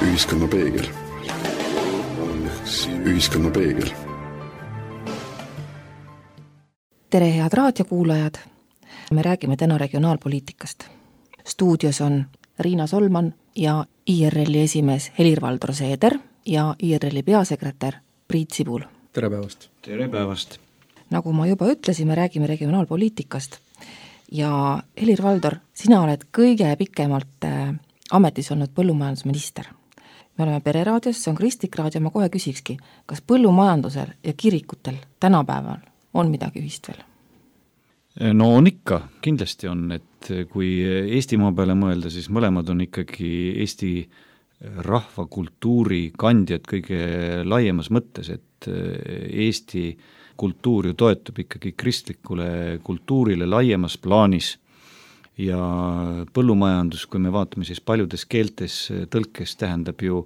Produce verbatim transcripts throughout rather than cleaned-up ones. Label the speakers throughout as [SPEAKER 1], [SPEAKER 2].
[SPEAKER 1] ühiskonna peegel. Ühiskonna peegel.
[SPEAKER 2] Tere, head raadiokuulajad! Me räägime täna regionaalpoliitikast. Stuudios on Riina Solman ja I R L-i esimees Helir-Valdor Seeder ja I R L-i peasekretär Priit Sibul.
[SPEAKER 3] Tere päevast!
[SPEAKER 4] Tere päevast!
[SPEAKER 2] Nagu ma juba ütlesin, me räägime regionaalpoliitikast. Ja Helir-Valdor, sina oled kõige pikemalt äh, ametis olnud põllumajandusminister. Me oleme Pereraadios, see on Kristlik raadio, ma kohe küsikski, kas põllumajandusel ja kirikutel tänapäeval on midagi ühist veel?
[SPEAKER 4] No on ikka, kindlasti on, et kui Eestimaa peale mõelda, siis mõlemad on ikkagi Eesti rahvakultuuri kandjad kõige laiemas mõttes, et Eesti kultuur ju toetub ikkagi kristlikule kultuurile laiemas plaanis ja põllumajandus, kui me vaatame siis paljudes keeltes tõlkes, tähendab ju,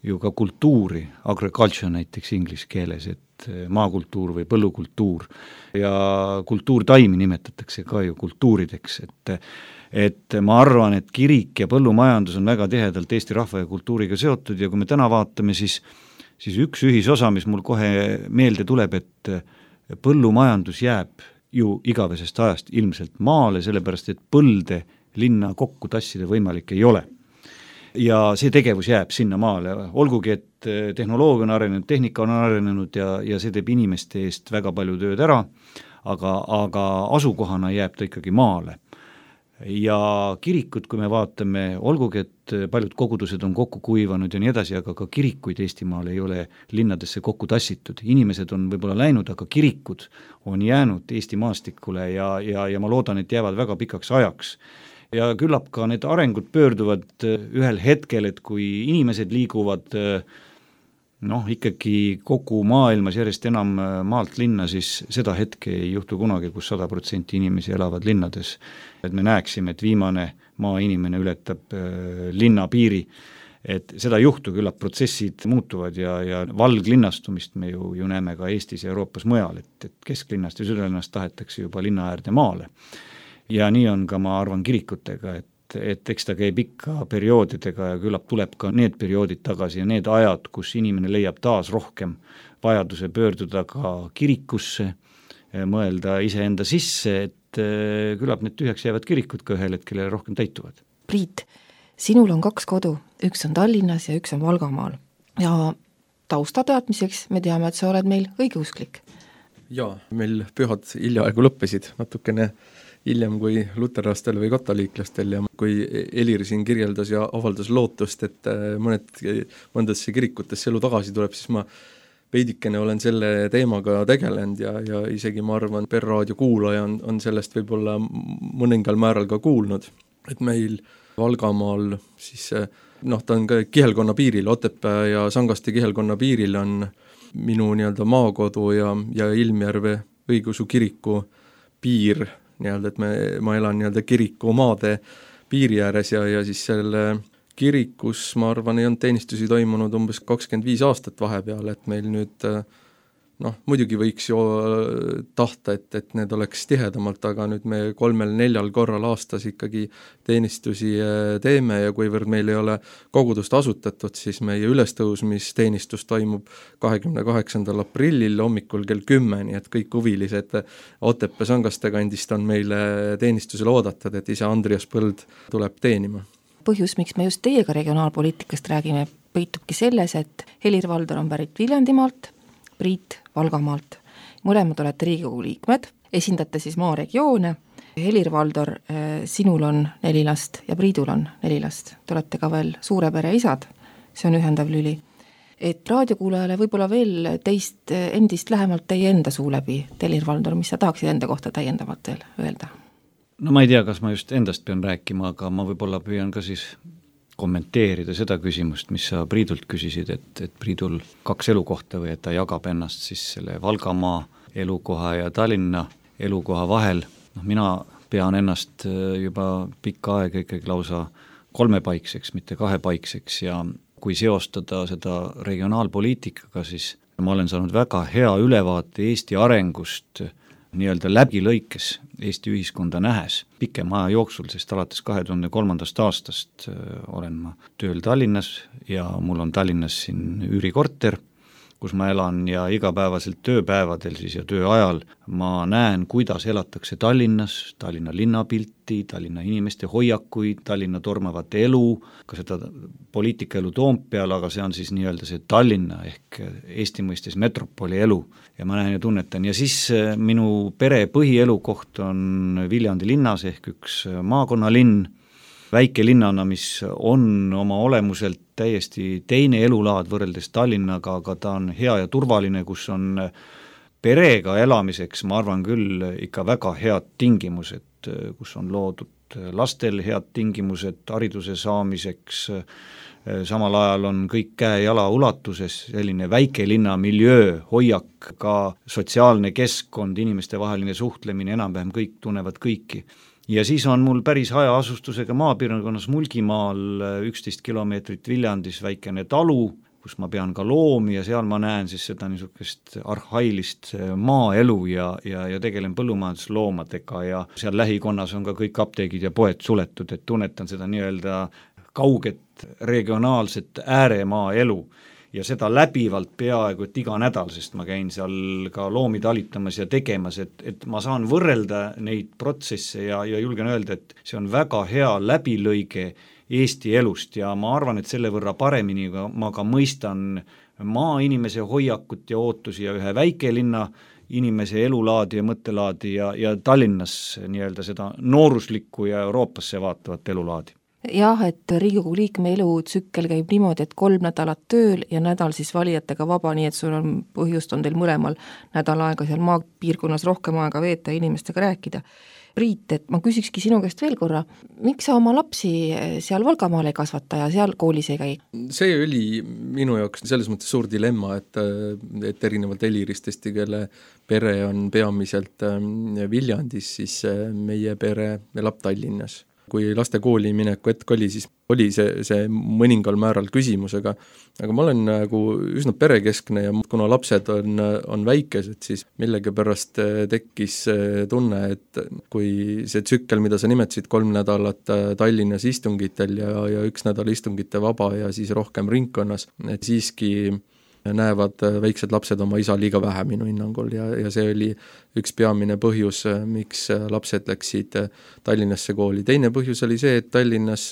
[SPEAKER 4] ju ka kultuuri, agriculture näiteks inglise keeles, et maakultuur või põllukultuur ja kultuurtaimi nimetatakse ka ju kultuurideks, et et ma arvan, et kirik ja põllumajandus on väga tihedalt Eesti rahva ja kultuuriga seotud ja kui me täna vaatame, siis siis üks ühisosa, mis mul kohe meelde tuleb, et põllumajandus jääb ju igavesest ajast ilmselt maale, sellepärast et põlde linna kokku tassida võimalik ei ole. Ja see tegevus jääb sinna maale, olgugi et tehnoloogia on arenenud, tehnika on arenenud ja, ja see teeb inimeste eest väga palju tööd ära, aga, aga asukohana jääb ta ikkagi maale. Ja kirikut, kui me vaatame, olgugi, et paljud kogudused on kokku kuivanud ja nii edasi, aga ka kirikuid Eestimaal ei ole linnadesse kokku tassitud. Inimesed on võib-olla läinud, aga kirikud on jäänud Eesti maastikule ja, ja, ja ma loodan, et jäävad väga pikaks ajaks. Ja küllap ka need arengud pöörduvad ühel hetkel, et kui inimesed liiguvad noh, ikkagi kogu maailmas järjest enam maalt linna, siis seda hetke ei juhtu kunagi, kus sada protsenti inimesi elavad linnades. Et me näeksime, et viimane maainimene ületab linna piiri, et seda juhtu küllap protsessid muutuvad ja, ja valglinnastumist me ju, ju näeme ka Eestis ja Euroopas mujal, et, et kesklinnast ja südalinnast tahetakse juba linna äärde maale. Ja nii on ka, ma arvan, kirikutega, et et eks ta käib ikka perioodidega ja küllap tuleb ka need perioodid tagasi ja need ajad, kus inimene leiab taas rohkem vajaduse pöörduda ka kirikusse, mõelda iseenda sisse, et küllap need tühjaks jäävad kirikud ka ühel hetkel rohkem täituvad.
[SPEAKER 2] Priit, sinul on kaks kodu, üks on Tallinnas ja üks on Valgamaal ja taustateadmiseks me teame, et sa oled meil õigeusklik.
[SPEAKER 3] Jaa, meil pühad hiljaaegu lõppesid natukene hiljem kui luterlastel või katoliiklastel ja kui Helir siin kirjeldas ja avaldas lootust, et mõned, mõndadesse kirikutesse elu tagasi tuleb, siis ma veidikene olen selle teemaga tegelenud ja, ja isegi ma arvan, Perraadio kuulaja on, on sellest võib-olla mõningal määral ka kuulnud, et meil Valgamaal siis noh, ta on ka kihelkonna piiril, Otepää ja Sangaste kihelkonna piiril on minu nii-öelda maakodu ja, ja Ilmjärve õigeusu kiriku piir, nii-öelda, et me, ma elan nii-öelda kiriku maade piiri ääres ja, ja siis selle kirikus, ma arvan, ei olnud teenistusi toimunud umbes kakskümmend viis aastat vahepeal, et meil nüüd noh, muidugi võiks ju tahta, et, et need oleks tihedamalt, aga nüüd me kolmel-neljal korral aastas ikkagi teenistusi teeme ja kuivõrd meil ei ole kogudust asutatud, siis meie ülestõusmisteenistus toimub kahekümne kaheksandal aprillil hommikul kell kümme, nii et kõik huvilised Otepää Sangaste kandist on meile teenistusele oodatud, et ise Andrias Põld tuleb teenima.
[SPEAKER 2] Põhjus, miks me just teiega regionaalpoliitikast räägime, peitubki selles, et Helir-Valdor on pärit Viljandimaalt, Priit Valgamaalt. Mõlemad olete Riigikogu liikmed, esindate siis maaregioone. Helir-Valdor, sinul on neli last ja Priidul on neli last. Te olete ka veel suure pere isad, see on ühendav lüli. Et raadiokuulajale võib-olla veel teist endist lähemalt teie enda suu läbi. Helir-Valdor, mis sa tahaksid enda kohta täiendavalt veel öelda?
[SPEAKER 4] No ma ei tea, kas ma just endast pean rääkima, aga ma võib-olla püüan ka siis kommenteerida seda küsimust, mis sa Priidult küsisid, et, et Priidul kaks elukohta või et ta jagab ennast siis selle Valgamaa elukoha ja Tallinna elukoha vahel. No, mina pean ennast juba pikka aega ikkagi lausa kolmepaikseks, mitte kahepaikseks ja kui seostada seda regionaalpoliitikaga, siis ma olen saanud väga hea ülevaate Eesti arengust nii-öelda läbilõikes Eesti ühiskonda nähes pikema aja jooksul, sest alates kahe tuhande kolmandast aastast olen ma tööl Tallinnas ja mul on Tallinnas siin üürikorter, kus ma elan ja igapäevaselt tööpäevadel siis ja tööajal ma näen, kuidas elatakse Tallinnas, Tallinna linnapilti, Tallinna inimeste hoiakuid, Tallinna tormavat elu, ka seda poliitikaelu Toompeal, aga see on siis nii-öelda see Tallinna ehk Eesti mõistes metropoli elu ja ma näen ja tunnetan. Ja siis minu pere põhielukoht on Viljandi linnas ehk üks maakonnalinn, väike linnana, mis on oma olemuselt täiesti teine elulaad võrreldes Tallinnaga, aga ta on hea ja turvaline, kus on perega elamiseks, ma arvan küll, ikka väga head tingimused, kus on loodud lastel head tingimused hariduse saamiseks, samal ajal on kõik käe jala ulatuses, selline väikelinna miljöö, hoiak, ka sotsiaalne keskkond, inimeste vaheline suhtlemine, enam-vähem kõik tunnevad kõiki. Ja siis on mul päris hajaasustusega maapiirkonnas Mulgimaal üksteist kilomeetrit Viljandis väikene talu, kus ma pean ka loomi ja seal ma näen siis seda niisugust arhailist maaelu ja, ja, ja tegelen põllumajandusloomadega ja seal lähikonnas on ka kõik apteegid ja poed suletud, et tunnetan seda nii-öelda kauget regionaalset ääremaa elu. Ja seda läbivalt peaaegu et iga nädal, sest ma käin seal ka loomi talitamas ja tegemas, et, et ma saan võrrelda neid protsesse ja, ja julgen öelda, et see on väga hea läbilõige Eesti elust ja ma arvan, et selle võrra paremini ma ka mõistan maainimese hoiakut ja ootusi ja ühe väikelinna inimese elulaadi ja mõttelaadi ja, ja Tallinnas nii-öelda seda nooruslikku ja Euroopasse vaatavat elulaadi.
[SPEAKER 2] Jah, et Riigikogu liikme elutsükkel käib niimoodi, et kolm nädalat tööl ja nädal siis valijatega vaba, nii et sul on põhjust on teil mõlemal nädal aega seal maapiirkonnas rohkem aega veeta ja inimestega rääkida. Priit, et ma küsikski sinu käest veel korra, miks sa oma lapsi seal Valgamaal ei kasvata ja seal koolis ei käi?
[SPEAKER 3] See oli minu jaoks selles mõttes suur dilemma, et, et erinevalt Heliristest, kelle pere on peamiselt Viljandis, siis meie pere elab Tallinnas. Kui laste kooli mineku hetk oli, siis oli see, see mõningal määral küsimusega, aga ma olen nagu üsna perekeskne ja kuna lapsed on, on väikesed, siis millega pärast tekkis tunne, et kui see tsükkel, mida sa nimetasid, kolm nädalat Tallinnas istungitel ja, ja üks nädal istungite vaba ja siis rohkem ringkonnas, et siiski näevad väiksed lapsed oma isa liiga vähe minu hinnangul ja, ja see oli üks peamine põhjus, miks lapsed läksid Tallinnasse kooli. Teine põhjus oli see, et Tallinnas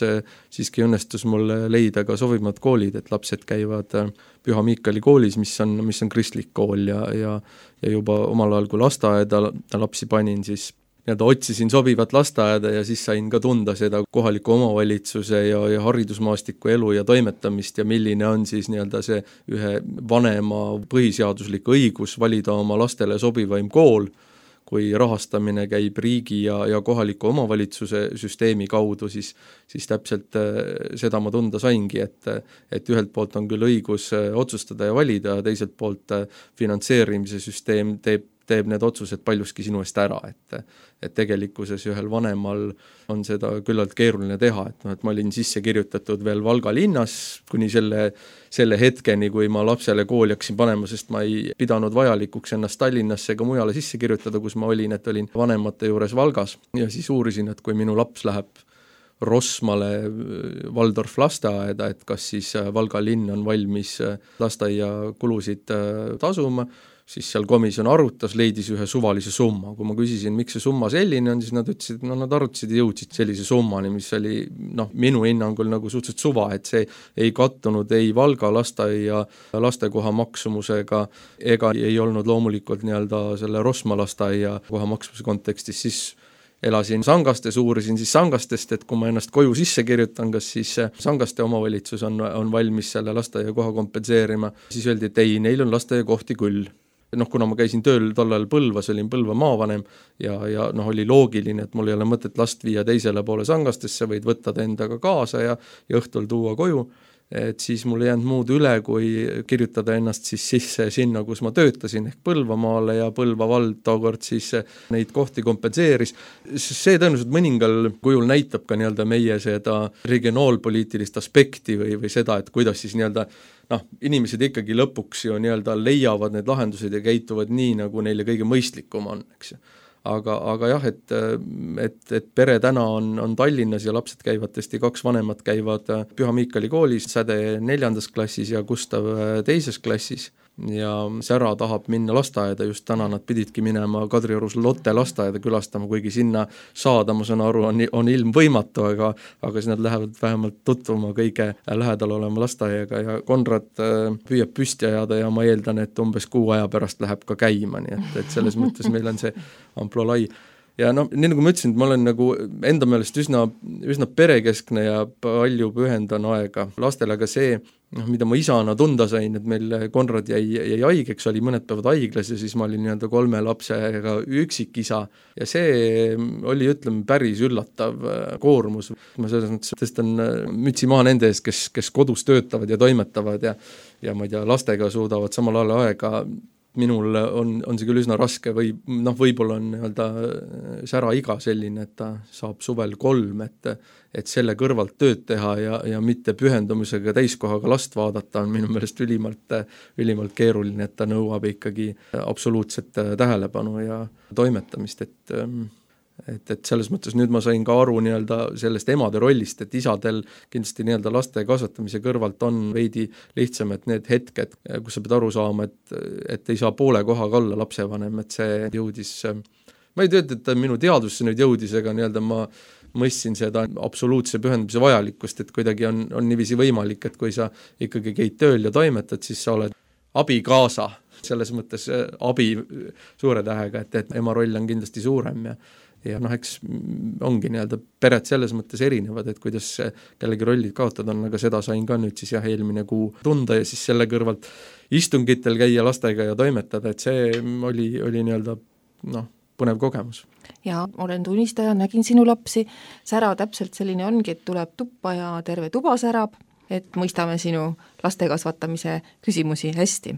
[SPEAKER 3] siiski õnnestus mul leida ka sobivamad koolid, et lapsed käivad Püha Miikali koolis, mis on, mis on kristlik kool ja, ja, ja juba omal ajal, kui lasteaeda lapsi panin, siis nii-öelda otsisin sobivat lasteaeda ja siis sain ka tunda seda kohaliku omavalitsuse ja, ja haridusmaastiku elu ja toimetamist ja milline on siis nii-öelda see ühe vanema põhiseaduslik õigus valida oma lastele sobivaim kool, kui rahastamine käib riigi ja, ja kohaliku omavalitsuse süsteemi kaudu, siis, siis täpselt seda ma tunda saingi, et, et ühelt poolt on küll õigus otsustada ja valida ja teiselt poolt finantseerimise süsteem teeb teeb need otsused paljuski sinu eest ära, et, et tegelikkuses ühel vanemal on seda küllalt keeruline teha, et, no, et ma olin sisse kirjutatud veel Valga linnas kuni selle, selle hetkeni, kui ma lapsele kooli hakkasin panema, sest ma ei pidanud vajalikuks ennast Tallinnasse ega mujale sisse kirjutada, kus ma olin, et olin vanemate juures Valgas ja siis uurisin, et kui minu laps läheb Rosmale Waldorf lasteaeda, et kas siis Valga linn on valmis lasteaia kulusid tasuma, siis seal komisjon arutas, leidis ühe suvalise summa. Kui ma küsisin, miks see summa selline on, siis nad ütlesid, no nad arutasid ja jõudsid sellise summani, mis oli noh, minu hinnangul nagu suhteliselt suva, et see ei kattunud ei Valga lasteaia lastekoha maksumusega ega ei olnud loomulikult nii-öelda selle Rosma lasteaia koha maksumuse kontekstis, siis elasin Sangastes, uurisin siis Sangastest, et kui ma ennast koju sisse kirjutan, kas siis Sangaste omavalitsus on, on valmis selle lasteaia koha kompenseerima, siis öeldi, et ei, neil on lasteaia kohti küll. Noh, kuna ma käisin tööl tollal Põlvas, olin Põlva maavanem ja, ja noh, oli loogiline, et mul ei ole mõtet last viia teisele poole Sangastesse, võid võtta ta endaga kaasa ja, ja õhtul tuua koju. et siis mul ei jäänud muud üle, kui kirjutada ennast siis sisse sinna, kus ma töötasin, ehk Põlvamaale, ja Põlva vald tookord siis neid kohti kompenseeris. See tõenäoliselt mõningal kujul näitab ka nii-öelda meie seda regionaalpoliitilist aspekti või, või seda, et kuidas siis nii-öelda noh, inimesed ikkagi lõpuks ju nii-öelda leiavad need lahendused ja käituvad nii, nagu neile kõige mõistlikum on, eks ju. Aga, aga jah, et, et, et pere täna on, on Tallinnas ja lapsed käivad tõesti, kaks vanemat käivad Püha Miikali koolis, Säde neljandas klassis ja Gustav teises klassis, ja Sära tahab minna lasteaeda, just täna nad pididki minema Kadriorus Lotte lasteaeda külastama, kuigi sinna saada, ma saan aru, on, on ilm võimatu, aga, aga siis nad lähevad vähemalt tutvuma kõige lähedal olema lasteaiaga, ja Konrad püüab püsti ajada ja ma eeldan, et umbes kuu aja pärast läheb ka käima, nii et, et selles mõttes meil on see amplo lai. Ja noh, nii nagu ma ütlesin, et ma olen nagu enda meelest üsna, üsna perekeskne ja palju pühendan aega lastele, aga see, noh, mida ma isana tunda sain, et meil Konrad jäi, jäi haigeks, oli mõned päevad haiglas ja siis ma olin nii-öelda kolme lapsega üksikisa ja see oli, ütleme, päris üllatav koormus. Ma selles mõttes tõstan mütsi maha nende ees, kes, kes kodus töötavad ja toimetavad ja, ja ma ei tea, lastega suudavad samal ajal aega. Minul on, on see küll üsna raske või noh, võib-olla on nii-öelda Sära iga selline, et ta saab suvel kolm, et, et selle kõrvalt tööd teha ja, ja mitte pühendumisega täiskohaga last vaadata on minu meelest ülimalt, ülimalt keeruline, et ta nõuab ikkagi absoluutset tähelepanu ja toimetamist, et Et, et selles mõttes nüüd ma sain ka aru nii-öelda sellest emade rollist, et isadel kindlasti nii-öelda laste kasvatamise kõrvalt on veidi lihtsam, et need hetked, kus sa pead aru saama, et, et ei saa poole kohaga olla lapsevanem, et see jõudis, ma ei tööta, et minu teadusse nüüd jõudis, ega nii-öelda ma mõistsin seda absoluutse pühendamise vajalikkust, et kuidagi on, on niiviisi võimalik, et kui sa ikkagi käid tööl ja toimetad, siis sa oled abikaasa, selles mõttes abi suure tähega, et, et ema roll on kindlasti suurem ja ja noh, eks ongi nii-öelda pered selles mõttes erinevad, et kuidas kellegi rollid kaotada on, aga seda sain ka nüüd siis jah, eelmine kuu tunda ja siis selle kõrvalt istungitel käia lastega ja toimetada, et see oli, oli nii-öelda noh, põnev kogemus.
[SPEAKER 2] Ja olen tunnistaja, nägin sinu lapsi, Sära täpselt selline ongi, et tuleb tuppa ja terve tuba särab, et mõistame sinu laste kasvatamise küsimusi hästi.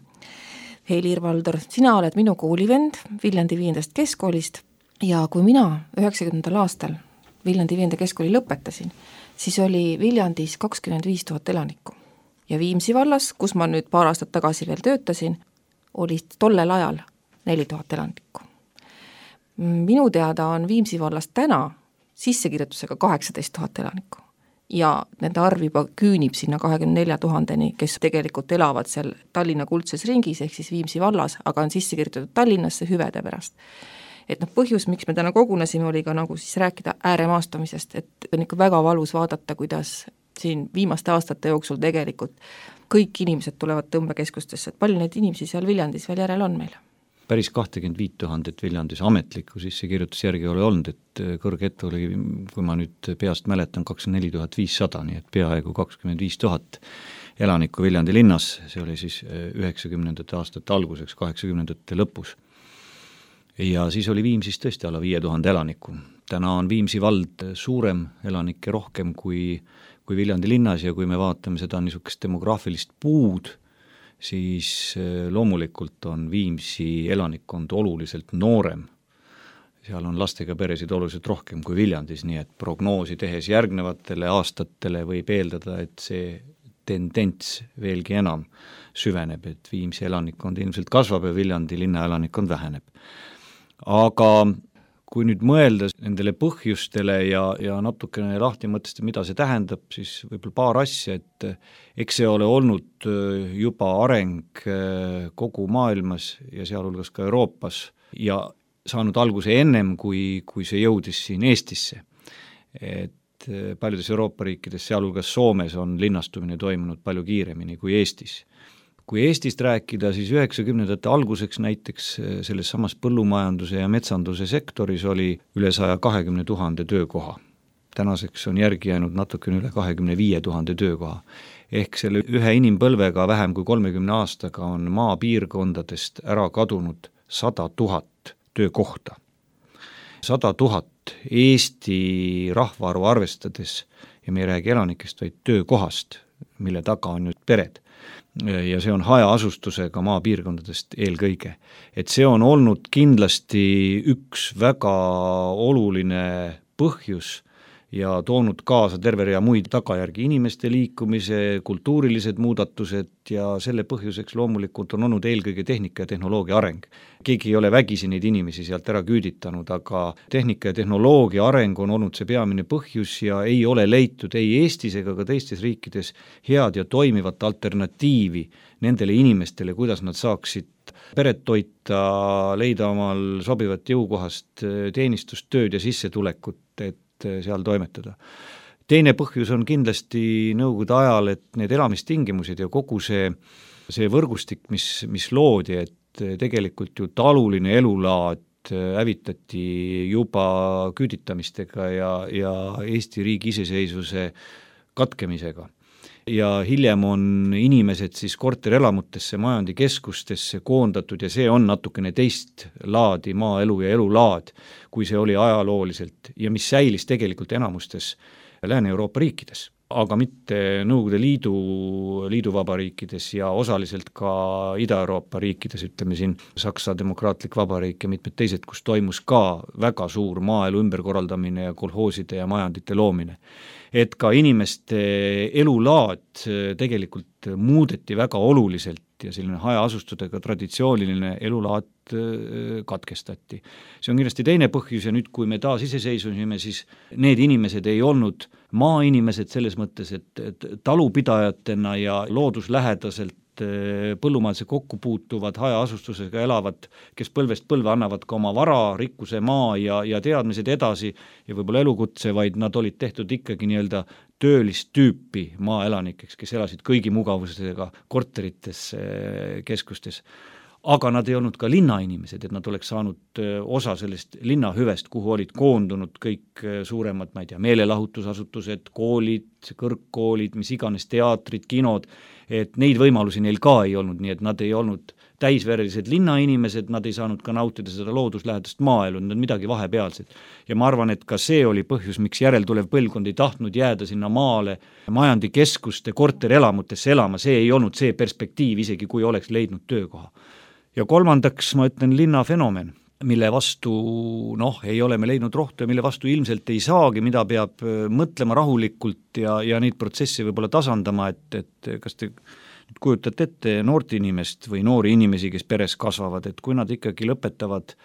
[SPEAKER 2] Helir-Valdor, sina oled minu koolivend Viljandi viiendast keskkoolist, ja kui mina üheksakümnendal aastal Viljandi viienda keskkooli lõpetasin, siis oli Viljandis kakskümmend viis tuhat elanikku. Ja Viimsi vallas, kus ma nüüd paar aastat tagasi veel töötasin, oli tollel ajal neli tuhat elanikku. Minu teada on Viimsi vallas täna sissekirjutusega kaheksateist tuhat elanikku. Ja nende arv juba küünib sinna kahekümne nelja tuhandeni, kes tegelikult elavad seal Tallinna kuldses ringis, ehk siis Viimsi vallas, aga on sissekirjutatud Tallinnasse hüvede pärast. Et noh, põhjus, miks me täna kogunesime, oli ka nagu siis rääkida ääremaastumisest, et on ikka väga valus vaadata, kuidas siin viimaste aastate jooksul tegelikult kõik inimesed tulevad tõmbekeskustesse, et palju neid inimesi seal Viljandis veel järel on meil?
[SPEAKER 4] Päris kakskümmend viis tuhandet Viljandis ametlikku sissekirjutus järgi oli olnud, et kõrgette oli, kui ma nüüd peast mäletan, kakskümmend neli tuhat viissada, nii et peaaegu kakskümmend viis tuhat elanikku Viljandi linnas, see oli siis üheksakümnendate aastate alguseks, kaheksakümnendate lõpus. Ja siis oli Viimsis tõesti alla viie tuhande elaniku. Täna on Viimsi vald suurem, elanikke rohkem kui, kui Viljandi linnas ja kui me vaatame seda niisugust demograafilist puud, siis loomulikult on Viimsi elanikkond oluliselt noorem. Seal on lastega peresid oluliselt rohkem kui Viljandis, nii et prognoosi tehes järgnevatele aastatele võib eeldada, et see tendents veelgi enam süveneb, et Viimsi elanikkond ilmselt kasvab ja Viljandi linna elanikkond väheneb. Aga kui nüüd mõelda nendele põhjustele ja, ja natukene lahti mõtestada, mida see tähendab, siis võib-olla paar asja, et eks see ole olnud juba areng kogu maailmas ja sealhulgas ka Euroopas ja saanud alguse ennem, kui, kui see jõudis siin Eestisse. Et paljudes Euroopa riikides, sealhulgas Soomes, on linnastumine toimunud palju kiiremini kui Eestis. Kui Eestist rääkida, siis üheksakümnendate alguseks näiteks selles samas põllumajanduse ja metsanduse sektoris oli üle saja kahekümne tuhande töökoha. Tänaseks on järgi jäänud natukene üle kahekümne viie tuhande töökoha. Ehk selle ühe inimpõlvega vähem kui kolmekümne aastaga on maapiirkondadest ära kadunud sada tuhat töökohta. Sada tuhat Eesti rahvaarvu arvestades ja me ei räägi elanikest, vaid töökohast, mille taga on nüüd pered. Ja see on hajaasustusega maapiirkondadest eelkõige. Et see on olnud kindlasti üks väga oluline põhjus ja toonud kaasa terve rea muid tagajärgi, inimeste liikumise, kultuurilised muudatused ja selle põhjuseks loomulikult on olnud eelkõige tehnika ja tehnoloogia areng. Keegi ei ole vägisi neid inimesi sealt ära küüditanud, aga tehnika ja tehnoloogia areng on olnud see peamine põhjus ja ei ole leitud ei Eestis ega ka teistes riikides head ja toimivat alternatiivi nendele inimestele, kuidas nad saaksid peret toita, leida omal sobivat jõukohast teenistustööd ja sissetulekut, et seal toimetada. Teine põhjus on kindlasti nõukogude ajal, et need elamistingimused ja kogu see, see võrgustik, mis, mis loodi, et tegelikult ju taluline elulaad hävitati juba küüditamistega ja, ja Eesti riigi iseseisvuse katkemisega. Ja hiljem on inimesed siis korterelamutesse, majandikeskustesse koondatud ja see on natukene teist laadi maaelu ja elulaad, kui see oli ajalooliselt ja mis säilis tegelikult enamustes Lääne-Euroopa riikides, aga mitte Nõukogude Liidu, liiduvabariikides ja osaliselt ka Ida-Euroopa riikides, ütleme siin Saksa Demokraatlik Vabariik ja mitmed teised, kus toimus ka väga suur maaelu ümberkorraldamine ja kolhooside ja majandite loomine. Et ka inimeste elulaad tegelikult muudeti väga oluliselt ja selline hajaasustudega traditsiooniline elulaad katkestati. See on kindlasti teine põhjus ja nüüd, kui me taas iseseisvusime, siis need inimesed ei olnud maainimesed selles mõttes, et, et talupidajatena ja looduslähedaselt põllumajanduse kokku puutuvad, hajaasustusega elavad, kes põlvest põlve annavad ka oma vara, rikkuse, maa ja, ja teadmised edasi ja võib-olla elukutse, vaid nad olid tehtud ikkagi nii-öelda töölist tüüpi maaelanikeks, kes elasid kõigi mugavusega korterites, keskustes. Aga nad ei olnud ka linnainimesed, et nad oleks saanud osa sellest linnahüvest, kuhu olid koondunud kõik suuremad, ma ei tea, meelelahutusasutused, koolid, kõrgkoolid, mis iganes teatrid, kinod, et neid võimalusi neil ka ei olnud, nii et nad ei olnud täisverelised linnainimesed, nad ei saanud ka nautida seda looduslähedast maaelu, nad on midagi vahepealset. Ja ma arvan, et ka see oli põhjus, miks järeltulev põlvkond ei tahtnud jääda sinna maale majandikeskuste korterelamutesse elama, see ei olnud see perspektiiv, isegi kui oleks leidnud töökoha. Ja kolmandaks ma ütlen linnafenomen, mille vastu noh, ei ole me leidnud rohtu ja mille vastu ilmselt ei saagi, mida peab mõtlema rahulikult ja, ja neid protsesse võib-olla tasandama, et, et kas te kujutate ette noort inimest või noori inimesi, kes peres kasvavad, et kui nad ikkagi lõpetavad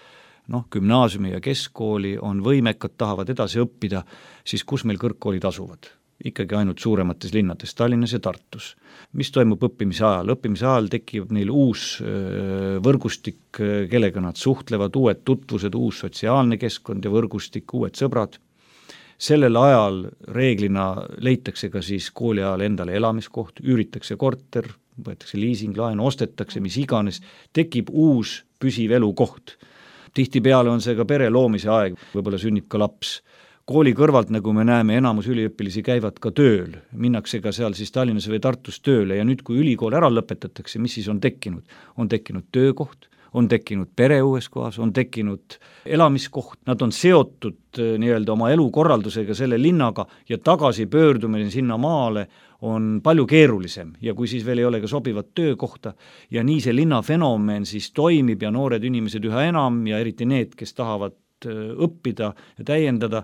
[SPEAKER 4] noh, gümnaasiumi ja keskkooli, on võimekad, tahavad edasi õppida, siis kus meil kõrgkoolid asuvad? Ikkagi ainult suuremates linnades, Tallinnas ja Tartus. Mis toimub õppimise ajal? Õppimise ajal tekib neil uus võrgustik, kellega nad suhtlevad, uued tutvused, uus sotsiaalne keskkond ja võrgustik, uued sõbrad. Sellel ajal reeglina leitakse ka siis kooli ajal endale elamiskoht, üüritakse korter, võetakse liising, laen, ostetakse, mis iganes, tekib uus püsiv elukoht. Tihtipeale on see ka pere loomise aeg, võib-olla sünnib ka laps. Kooli kõrvalt, nagu me näeme, enamus üliõpilisi käivad ka tööl, minnakse ka seal siis Tallinnas või Tartus tööle ja nüüd, kui ülikool ära lõpetatakse, mis siis on tekkinud? On tekkinud töökoht, on tekkinud pere uues kohas, on tekkinud elamiskoht, nad on seotud nii-öelda oma elukorraldusega selle linnaga ja tagasi pöördumine sinna maale on palju keerulisem ja kui siis veel ei ole ka sobivat töökohta ja nii see linnafenomen siis toimib ja noored inimesed üha enam ja eriti need, kes tahavad õppida ja täiendada,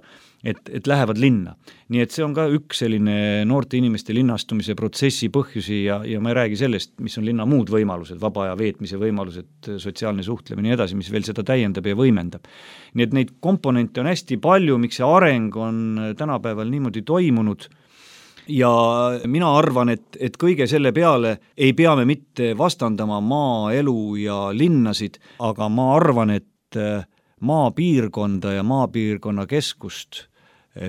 [SPEAKER 4] et, et lähevad linna. Nii et see on ka üks selline noorte inimeste linnastumise protsessi põhjusi ja, ja ma ei räägi sellest, mis on linna muud võimalused, vaba aja veetmise võimalused, sotsiaalne suhtlemine ja edasi, mis veel seda täiendab ja võimendab. Nii et neid komponente on hästi palju, miks see areng on tänapäeval niimoodi toimunud ja mina arvan, et, et kõige selle peale ei pea me mitte vastandama maaelu ja linnasid, aga ma arvan, et maapiirkonda ja maapiirkonna keskust,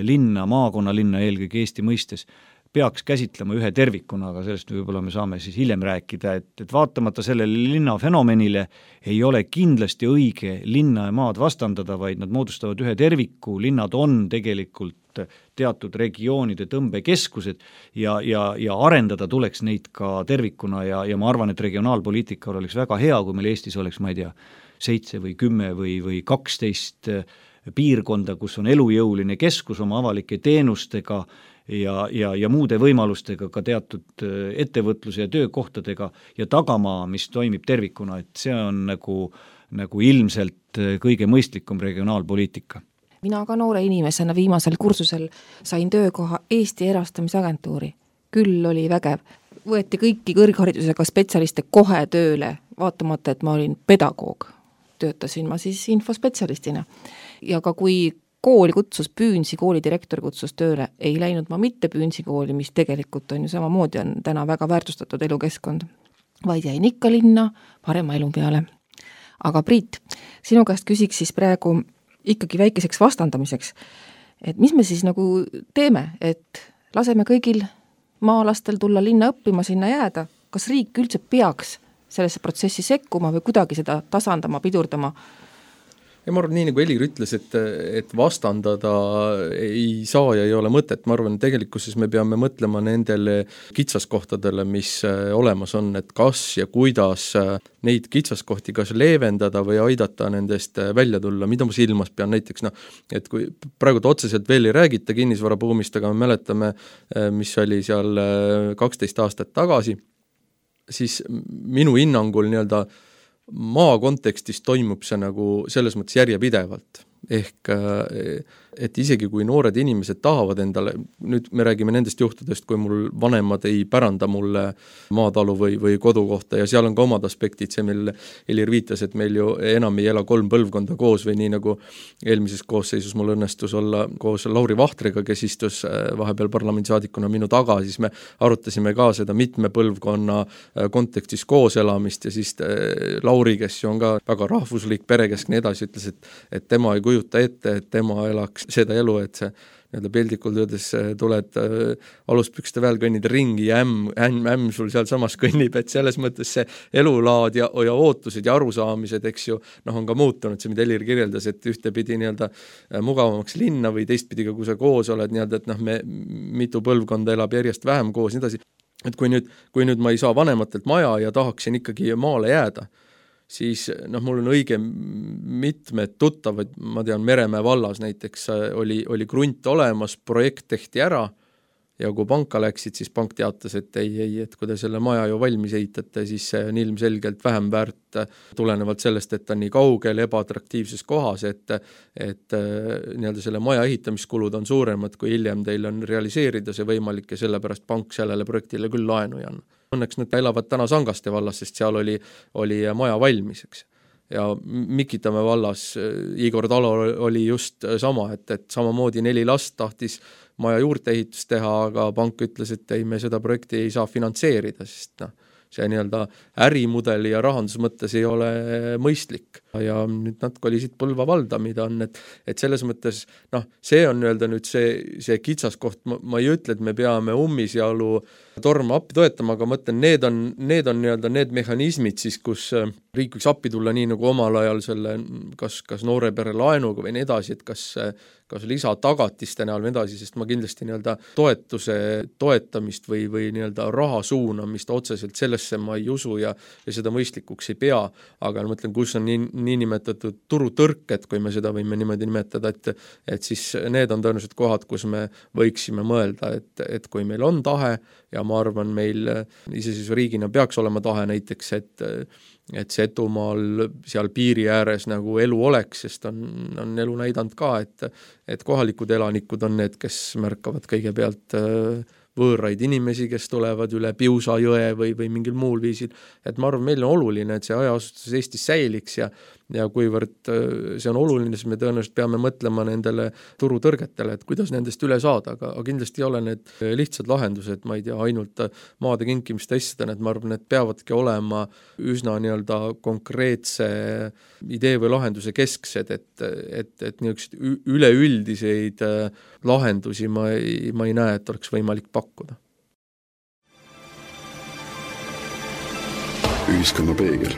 [SPEAKER 4] linna, maakonnalinna eelkõige Eesti mõistes, peaks käsitlema ühe tervikuna, aga sellest võib-olla me saame siis hiljem rääkida, et, et vaatamata sellele linnafenomenile ei ole kindlasti õige linna ja maad vastandada, vaid nad moodustavad ühe terviku, linnad on tegelikult teatud regioonide tõmbekeskused ja, ja, ja arendada tuleks neid ka tervikuna ja, ja ma arvan, et regionaalpoliitikal oleks väga hea, kui meil Eestis oleks, ma ei tea, seitse või kümme või, või kaksteist piirkonda, kus on elujõuline keskus oma avalike teenustega ja, ja, ja muude võimalustega, ka teatud ettevõtluse ja töökohtadega ja tagamaa, mis toimib tervikuna, et see on nagu, nagu ilmselt kõige mõistlikum regionaalpoliitika.
[SPEAKER 2] Mina ka noore inimesena viimasel kursusel sain töökoha Eesti erastamisagentuuri. Küll oli vägev. Võeti kõiki kõrgharidusega spetsialiste kohe tööle, vaatamata, et ma olin pedagoog. Töötasin ma siis infospetsialistina. Ja ka kui kooli kutsus Püünsi, kooli direktor kutsus tööle, ei läinud ma mitte Püünsi kooli, mis tegelikult on ju samamoodi on täna väga väärtustatud elukeskkond, vaid jäin ikka linna parema elu peale. Aga Priit, sinu käest küsiks siis praegu ikkagi väikeseks vastandamiseks, et mis me siis nagu teeme, et laseme kõigil maalastel tulla linna õppima, sinna jääda, kas riik üldse peaks sellesse protsessi sekkuma või kuidagi seda tasandama, pidurdama?
[SPEAKER 3] Ja ma arvan, nii nagu Elir ütles, et, et vastandada ei saa ja ei ole mõtet. Ma arvan, tegelikkuses me peame mõtlema nendele kitsaskohtadele, mis olemas on, et kas ja kuidas neid kitsaskohti kas leevendada või aidata nendest välja tulla. Mida ma silmas pean näiteks, no, et kui praegu otseselt veel ei räägita kinnisvarabuumist, aga me mäletame, mis oli seal kaksteist aastat tagasi, siis minu hinnangul nii-öelda maa kontekstis toimub see nagu selles mõttes järjepidevalt. Ehk et isegi kui noored inimesed tahavad endale, nüüd me räägime nendest juhtudest, kui mul vanemad ei päranda mulle maatalu või, või kodukohta ja seal on ka omad aspektid, see meil Elir viitas, et meil ju enam ei ela kolm põlvkonda koos või nii nagu eelmises koosseisus mul õnnestus olla koos Lauri Vahtriga, kes istus vahepeal parlamendisaadikuna minu taga, siis me arutasime ka seda mitme põlvkonna kontekstis kooselamist ja siis Lauri, kes ju on ka väga rahvuslik, perekeskne edasi, ütles, et, et tema ei kujuta ette, et tema elaks seda elu, et see nii-öelda pildikult öeldes tuled äh, aluspükste väel kõnnid ringi ja ämm, ämm, ämm sul seal samas kõnnib, et selles mõttes see elulaad ja, ja ootused ja arusaamised, eks ju, noh on ka muutunud, see mida Elir kirjeldas, et ühtepidi nii-öelda mugavamaks linna või teistpidi ka, kui sa koos oled nii-öelda, et noh, me mitu põlvkonda elab järjest vähem koos, nii edasi, et kui nüüd, kui nüüd ma ei saa vanematelt maja ja tahaksin ikkagi maale jääda, siis noh, mul on õige mitmed tuttavad, ma tean, Meremäe vallas näiteks oli, oli krunt olemas, projekt tehti ära ja kui panka läksid, siis pank teatas, et ei, ei, et kui te selle maja ju valmis ehitate, siis see on ilmselgelt vähem väärt tulenevalt sellest, et ta on nii kaugel, ebaatraktiivses kohas, et, et nii-öelda selle maja ehitamiskulud on suuremad, kui hiljem teil on realiseerida see võimalik ja sellepärast pank sellele projektile küll laenu ei anna. Õnneks nad elavad täna Sangaste vallas, sest seal oli, oli maja valmis, eks. Ja Mikitamäe vallas Igor Talo oli just sama, et, et samamoodi neli last tahtis maja juurteehitust teha, aga pank ütles, et ei, me seda projekti ei saa finantseerida, sest noh, see nii-öelda ärimudeli ja rahandus mõttes ei ole mõistlik. Ja nüüd nad kolisid Põlva valda, mida on, et, et selles mõttes, noh, see on nii-öelda nüüd see, see kitsaskoht, ma, ma ei ütle, et me peame ummisjalu torma appi toetama, aga mõtlen, need on, need on nii-öelda need mehhanismid siis, kus riik võiks appi tulla nii nagu omal ajal selle, kas, kas noore pere laenuga või nii edasi, et kas, kas lisatagatiste näol või edasi, sest ma kindlasti nii-öelda toetuse toetamist või, või nii-öelda raha suunamist otseselt sellesse ma ei usu ja, ja seda mõistlikuks ei pea, aga ma mõtlen, kus on nii, niinimetatud turutõrked, kui me seda võime niimoodi nimetada, et, et siis need on tõenäoliselt kohad, kus me võiksime mõelda, et, et kui meil on tahe ja ma arvan, meil iseseisva riigina peaks olema tahe näiteks, et et Setumaal seal piiri ääres nagu elu oleks, sest on, on elu näidanud ka, et, et kohalikud elanikud on need, kes märkavad kõigepealt võõraid inimesi, kes tulevad üle Piusa jõe või, või mingil muul viisil. Et ma arvan, meil on oluline, et see hajaasustus Eestis säiliks ja, ja kuivõrd see on oluline, siis me tõenäoliselt peame mõtlema nendele turutõrgetele, et kuidas nendest üle saada, aga, aga kindlasti ei ole need lihtsad lahendused, ma ei tea, ainult maade kinkimist asjadena, et ma arvan, et peavadki olema üsna nii-öelda konkreetse idee või lahenduse kesksed, et, et, et niisugused üleüldiseid lahendusi ma ei, ma ei näe, et oleks võimalik pakkuda.
[SPEAKER 1] Ühiskonna peegel.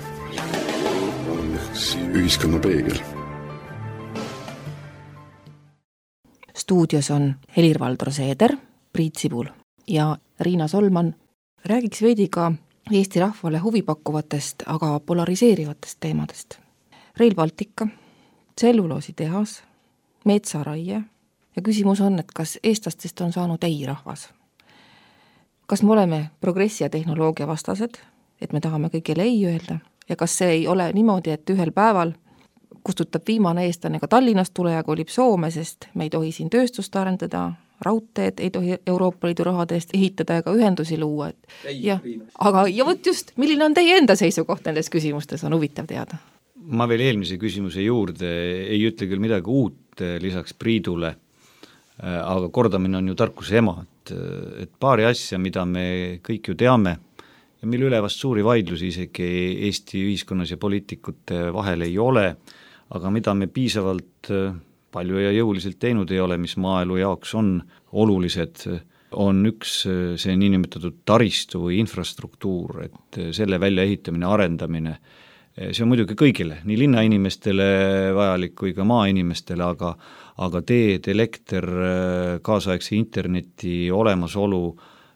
[SPEAKER 1] Ühiskonna peegel.
[SPEAKER 2] Stuudios on Helir-Valdor Seeder, Priit Sibul ja Riina Solman. Räägiks veidi ka Eesti rahvale huvipakkuvatest, aga polariseerivatest teemadest. Rail Baltica, tselluloositehas, metsaraie, ja küsimus on, et kas eestlastest on saanud ei-rahvas. Kas me oleme progressi ja tehnoloogia vastased, et me tahame kõigile ei öelda, ja kas see ei ole niimoodi, et ühel päeval kustutab viimane eestlane ka Tallinnast tule ja kolib Soome, sest me ei tohi siin tööstust arendada, raudteed ei tohi Euroopa Liidu rahade eest ehitada ega ühendusi luua. Et ja, aga ja võt just, milline on teie enda seisukoht nendes küsimustes, on huvitav teada.
[SPEAKER 4] Ma veel eelmise küsimuse juurde ei ütle küll midagi uut lisaks Priidule, aga kordamine on ju tarkuse ema, et, et paari asja, mida me kõik ju teame ja mille üle vast suuri vaidlusi isegi Eesti ühiskonnas ja poliitikute vahel ei ole, aga mida me piisavalt palju ja jõuliselt teinud ei ole, mis maaelu jaoks on olulised, on üks see niinimetatud taristu või infrastruktuur, et selle väljaehitamine, arendamine, see on muidugi kõigile, nii linnainimestele vajalik kui ka maainimestele, aga, aga teed, elekter, kaasaegse interneti olemasolu,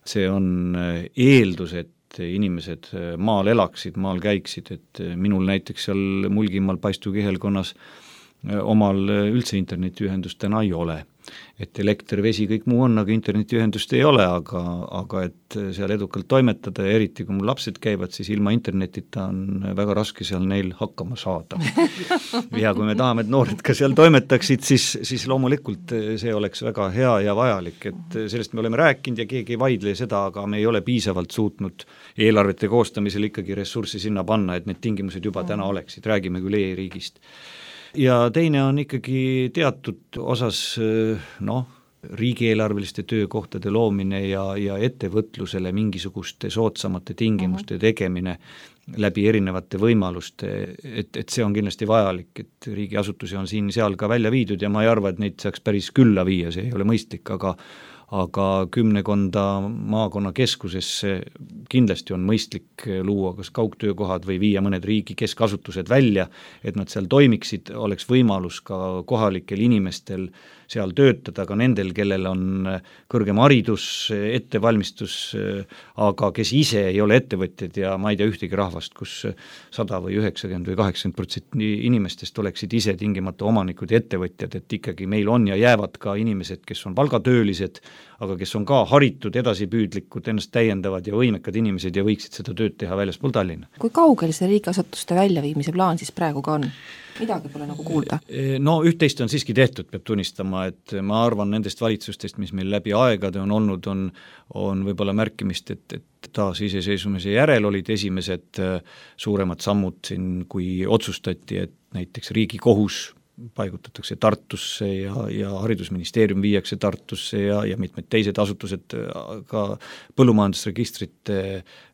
[SPEAKER 4] see on eeldus, et inimesed maal elaksid, maal käiksid, et minul näiteks seal Mulgimaal Paistu kihelkonnas omal üldse internetiühendust täna ei ole. Et elekter, vesi, kõik muu on, aga internetiühendust ei ole, aga, aga et seal edukalt toimetada ja eriti kui mul lapsed käivad, siis ilma internetita on väga raske seal neil hakkama saada. Ja kui me tahame, et noored ka seal toimetaksid, siis, siis loomulikult see oleks väga hea ja vajalik, et sellest me oleme rääkinud ja keegi ei vaidle seda, aga me ei ole piisavalt suutnud eelarvete koostamisel ikkagi ressurssi sinna panna, et need tingimused juba täna oleksid, räägime küll e-riigist. Ja teine on ikkagi teatud osas noh, riigieelarveliste töökohtade loomine ja, ja ettevõtlusele mingisuguste soodsamate tingimuste tegemine läbi erinevate võimaluste, et, et see on kindlasti vajalik, et riigiasutusi on siin seal ka välja viidud ja ma ei arva, et neid saaks päris külla viia, see ei ole mõistlik, aga aga kümnekonda maakonna keskusesse kindlasti on mõistlik luua kas kaugtöökohad või viia mõned riigi keskasutused välja, et nad seal toimiksid, oleks võimalus ka kohalikel inimestel seal töötada, ka nendel, kellel on kõrgem haridus, ettevalmistus, aga kes ise ei ole ettevõtjad ja ma ei tea ühtegi rahvast, kus sada või üheksakümmend või kaheksakümmend protsenti inimestest oleksid ise tingimata omanikud ja ettevõtjad, et ikkagi meil on ja jäävad ka inimesed, kes on palgatöölised, aga kes on ka haritud, edasipüüdlikud, ennast täiendavad ja võimekad inimesed ja võiksid seda tööd teha väljaspool Tallinna.
[SPEAKER 2] Kui kaugel see riigiasutuste väljaviimise plaan siis praegu ka on? Midagi pole nagu kuulda.
[SPEAKER 4] No üht-teist on siiski tehtud, peab tunnistama, et ma arvan nendest valitsustest, mis meil läbi aegade on olnud, on, on võib-olla märkimist, et, et taas iseseisvumise järel olid esimesed suuremad sammud siin, kui otsustati, et näiteks Riigikohus paigutatakse Tartusse ja, ja haridusministeerium viiakse Tartusse ja, ja mitmed teised asutused, ka põllumajandusregistrite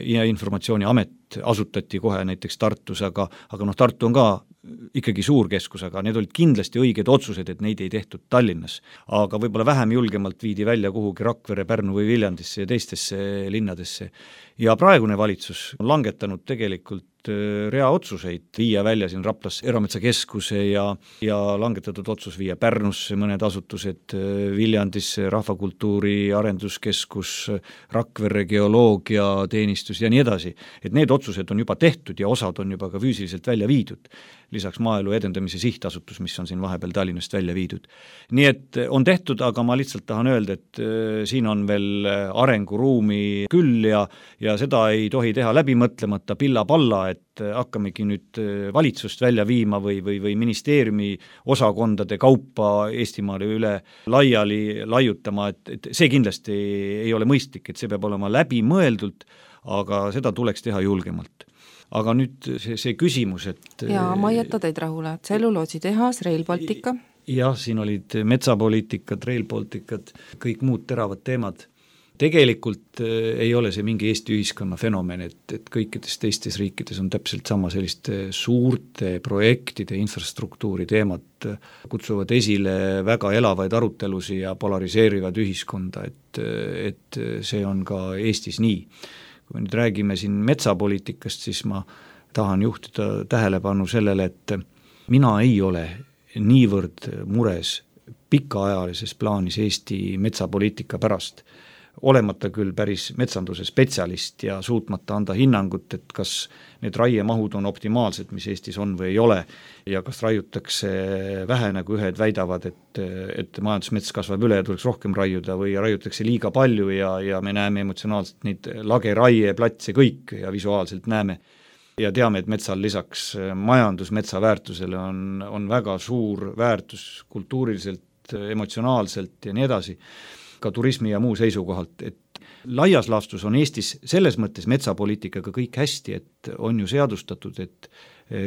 [SPEAKER 4] ja informatsiooniamet asutati kohe näiteks Tartus, aga, aga noh, Tartu on ka ikkagi suur keskus, aga need olid kindlasti õiged otsused, et neid ei tehtud Tallinnas. Aga võib-olla vähem julgemalt viidi välja kuhugi Rakvere, Pärnu või Viljandisse ja teistesse linnadesse. Ja praegune valitsus on langetanud tegelikult rea otsuseid viia välja siin Raplas erametsakeskuse ja, ja langetatud otsus viia Pärnusse mõned asutused, Viljandisse rahvakultuuri arenduskeskus, Rakvere geoloogiateenistus ja nii edasi. Et need otsused on juba tehtud ja osad on juba ka füüsiliselt välja viidud. Lisaks maaelu edendamise sihtasutus, mis on siin vahepeal Tallinnast välja viidud. Nii et on tehtud, aga ma lihtsalt tahan öelda, et siin on veel arenguruumi küll ja, ja seda ei tohi teha läbimõtlemata pilla-palla, et hakkamegi nüüd valitsust välja viima või, või, või ministeeriumi osakondade kaupa Eestimaale üle laiali laiutama, et, et see kindlasti ei ole mõistlik, et see peab olema läbimõeldult, aga seda tuleks teha julgemalt. Aga nüüd see, see küsimus, et
[SPEAKER 2] jaa, ma ei jäta teid rahule, tselluloositehas, Rail Baltica.
[SPEAKER 4] Jah, siin olid metsapoliitikad, Rail Balticad, kõik muud teravad teemad. Tegelikult ei ole see mingi Eesti ühiskonna fenomen, et, et kõikides teistes riikides on täpselt sama selliste suurte projektide infrastruktuuri teemad, kutsuvad esile väga elavaid arutelusi ja polariseerivad ühiskonda, et, et see on ka Eestis nii. Kui nüüd räägime siin metsapoliitikast, siis ma tahan juhtida tähelepanu sellele, et mina ei ole niivõrd mures pikaajalises plaanis Eesti metsapoliitika pärast, olemata küll päris metsanduse spetsialist ja suutmata anda hinnangut, et kas need raiemahud on optimaalsed, mis Eestis on või ei ole, ja kas raiutakse vähe, nagu ühed väidavad, et, et majandusmets kasvab üle ja tuleks rohkem raiuda, või raiutakse liiga palju ja, ja me näeme emotsionaalselt neid lageraie, platse kõik ja visuaalselt näeme. Ja teame, et metsal lisaks majandusmetsa väärtusele on, on väga suur väärtus kultuuriliselt, emotsionaalselt ja nii edasi, ka turismi ja muu seisukohalt, et laias laastus on Eestis selles mõttes metsapoliitikaga kõik hästi, et on ju seadustatud, et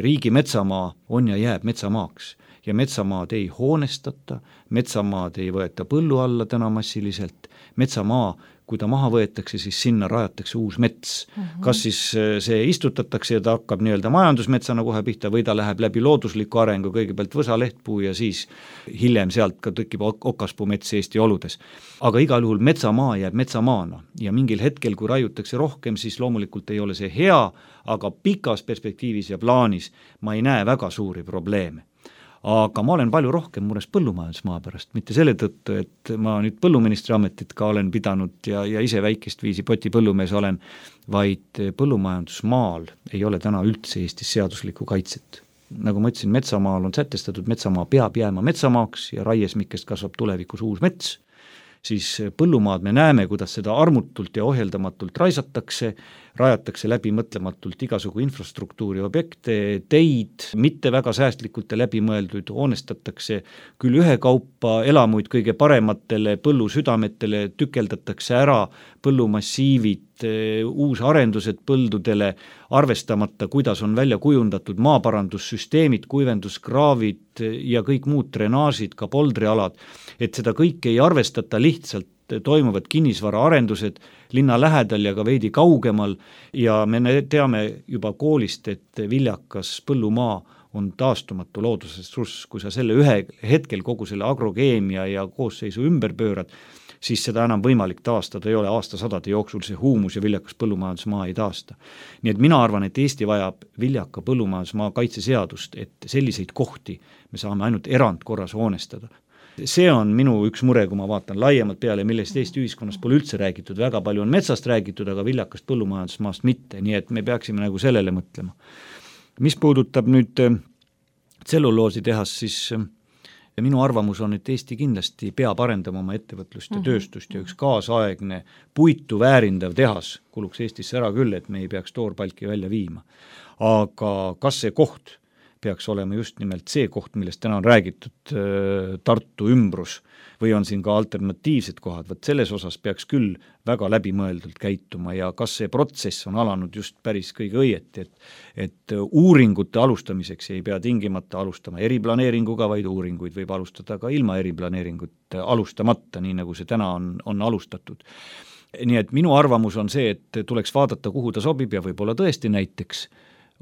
[SPEAKER 4] riigi metsamaa on ja jääb metsamaaks ja metsamaad ei hoonestata, metsamaad ei võeta põllu alla täna massiliselt, metsamaa, kui ta maha võetakse, siis sinna rajatakse uus mets. Mm-hmm. Kas siis see istutatakse ja ta hakkab nii-öelda majandusmetsana kohe pihta või ta läheb läbi loodusliku arengu, kõigepealt võsalehtpuu ja siis hiljem sealt ka tõkib okaspuumets Eesti oludes. Aga igal juhul metsamaa jääb metsamaana ja mingil hetkel, kui raiutakse rohkem, siis loomulikult ei ole see hea, aga pikas perspektiivis ja plaanis ma ei näe väga suuri probleeme. Aga ma olen palju rohkem mures põllumajandusmaa pärast, mitte selle tõttu, et ma nüüd põlluministri ametit ka olen pidanud ja, ja ise väikest viisi poti põllumees olen, vaid põllumajandusmaal ei ole täna üldse Eestis seaduslikku kaitset. Nagu ma ütlesin, metsamaal on sätestatud, metsamaa peab jääma metsamaaks ja raiesmikest kasvab tulevikus uus mets, siis põllumaad me näeme, kuidas seda armutult ja ohjeldamatult raisatakse, rajatakse läbi mõtlematult igasugu infrastruktuuri objekte, teid, mitte väga säästlikult ja läbimõelduid, hoonestatakse küll ühekaupa elamuid kõige parematele põllusüdametele, tükeldatakse ära põllumassiivid, uusarendused põldudele, arvestamata, kuidas on välja kujundatud maaparandussüsteemid, kuivenduskraavid ja kõik muud drenaažid, ka poldrialad, et seda kõike ei arvestata lihtsalt, toimuvad kinnisvaraarendused linna lähedal ja ka veidi kaugemal ja me teame juba koolist, et viljakas põllumaa on taastumatu loodusressurss, kui sa selle ühe hetkel kogu selle agrokeemia ja koosseisu ümber pöörad, siis seda enam võimalik taastada ei ole, aastasadade jooksul see huumus ja viljakas põllumajandusmaa ei taasta. Nii et mina arvan, et Eesti vajab viljaka põllumajandusmaa kaitseseadust, et selliseid kohti me saame ainult erandkorras hoonestada. See on minu üks mure, kui ma vaatan laiemalt peale, millest Eesti ühiskonnas pole üldse räägitud, väga palju on metsast räägitud, aga viljakast põllumajandusmaast mitte, nii et me peaksime nagu sellele mõtlema. Mis puudutab nüüd tselluloosi tehas, siis minu arvamus on, et Eesti kindlasti peab arendama oma ettevõtlust ja tööstust ja üks kaasaegne puitu väärindav tehas kuluks Eestisse ära küll, et me ei peaks toorpalki välja viima. Aga kas see koht peaks olema just nimelt see koht, millest täna on räägitud, Tartu ümbrus, või on siin ka alternatiivsed kohad, võt selles osas peaks küll väga läbimõeldult käituma ja kas see protsess on alanud just päris kõige õieti, et, et uuringute alustamiseks ei pea tingimata alustama eriplaneeringuga, vaid uuringuid võib alustada ka ilma eriplaneeringut alustamata, nii nagu see täna on, on alustatud. Nii et minu arvamus on see, et tuleks vaadata, kuhu ta sobib ja võib-olla tõesti näiteks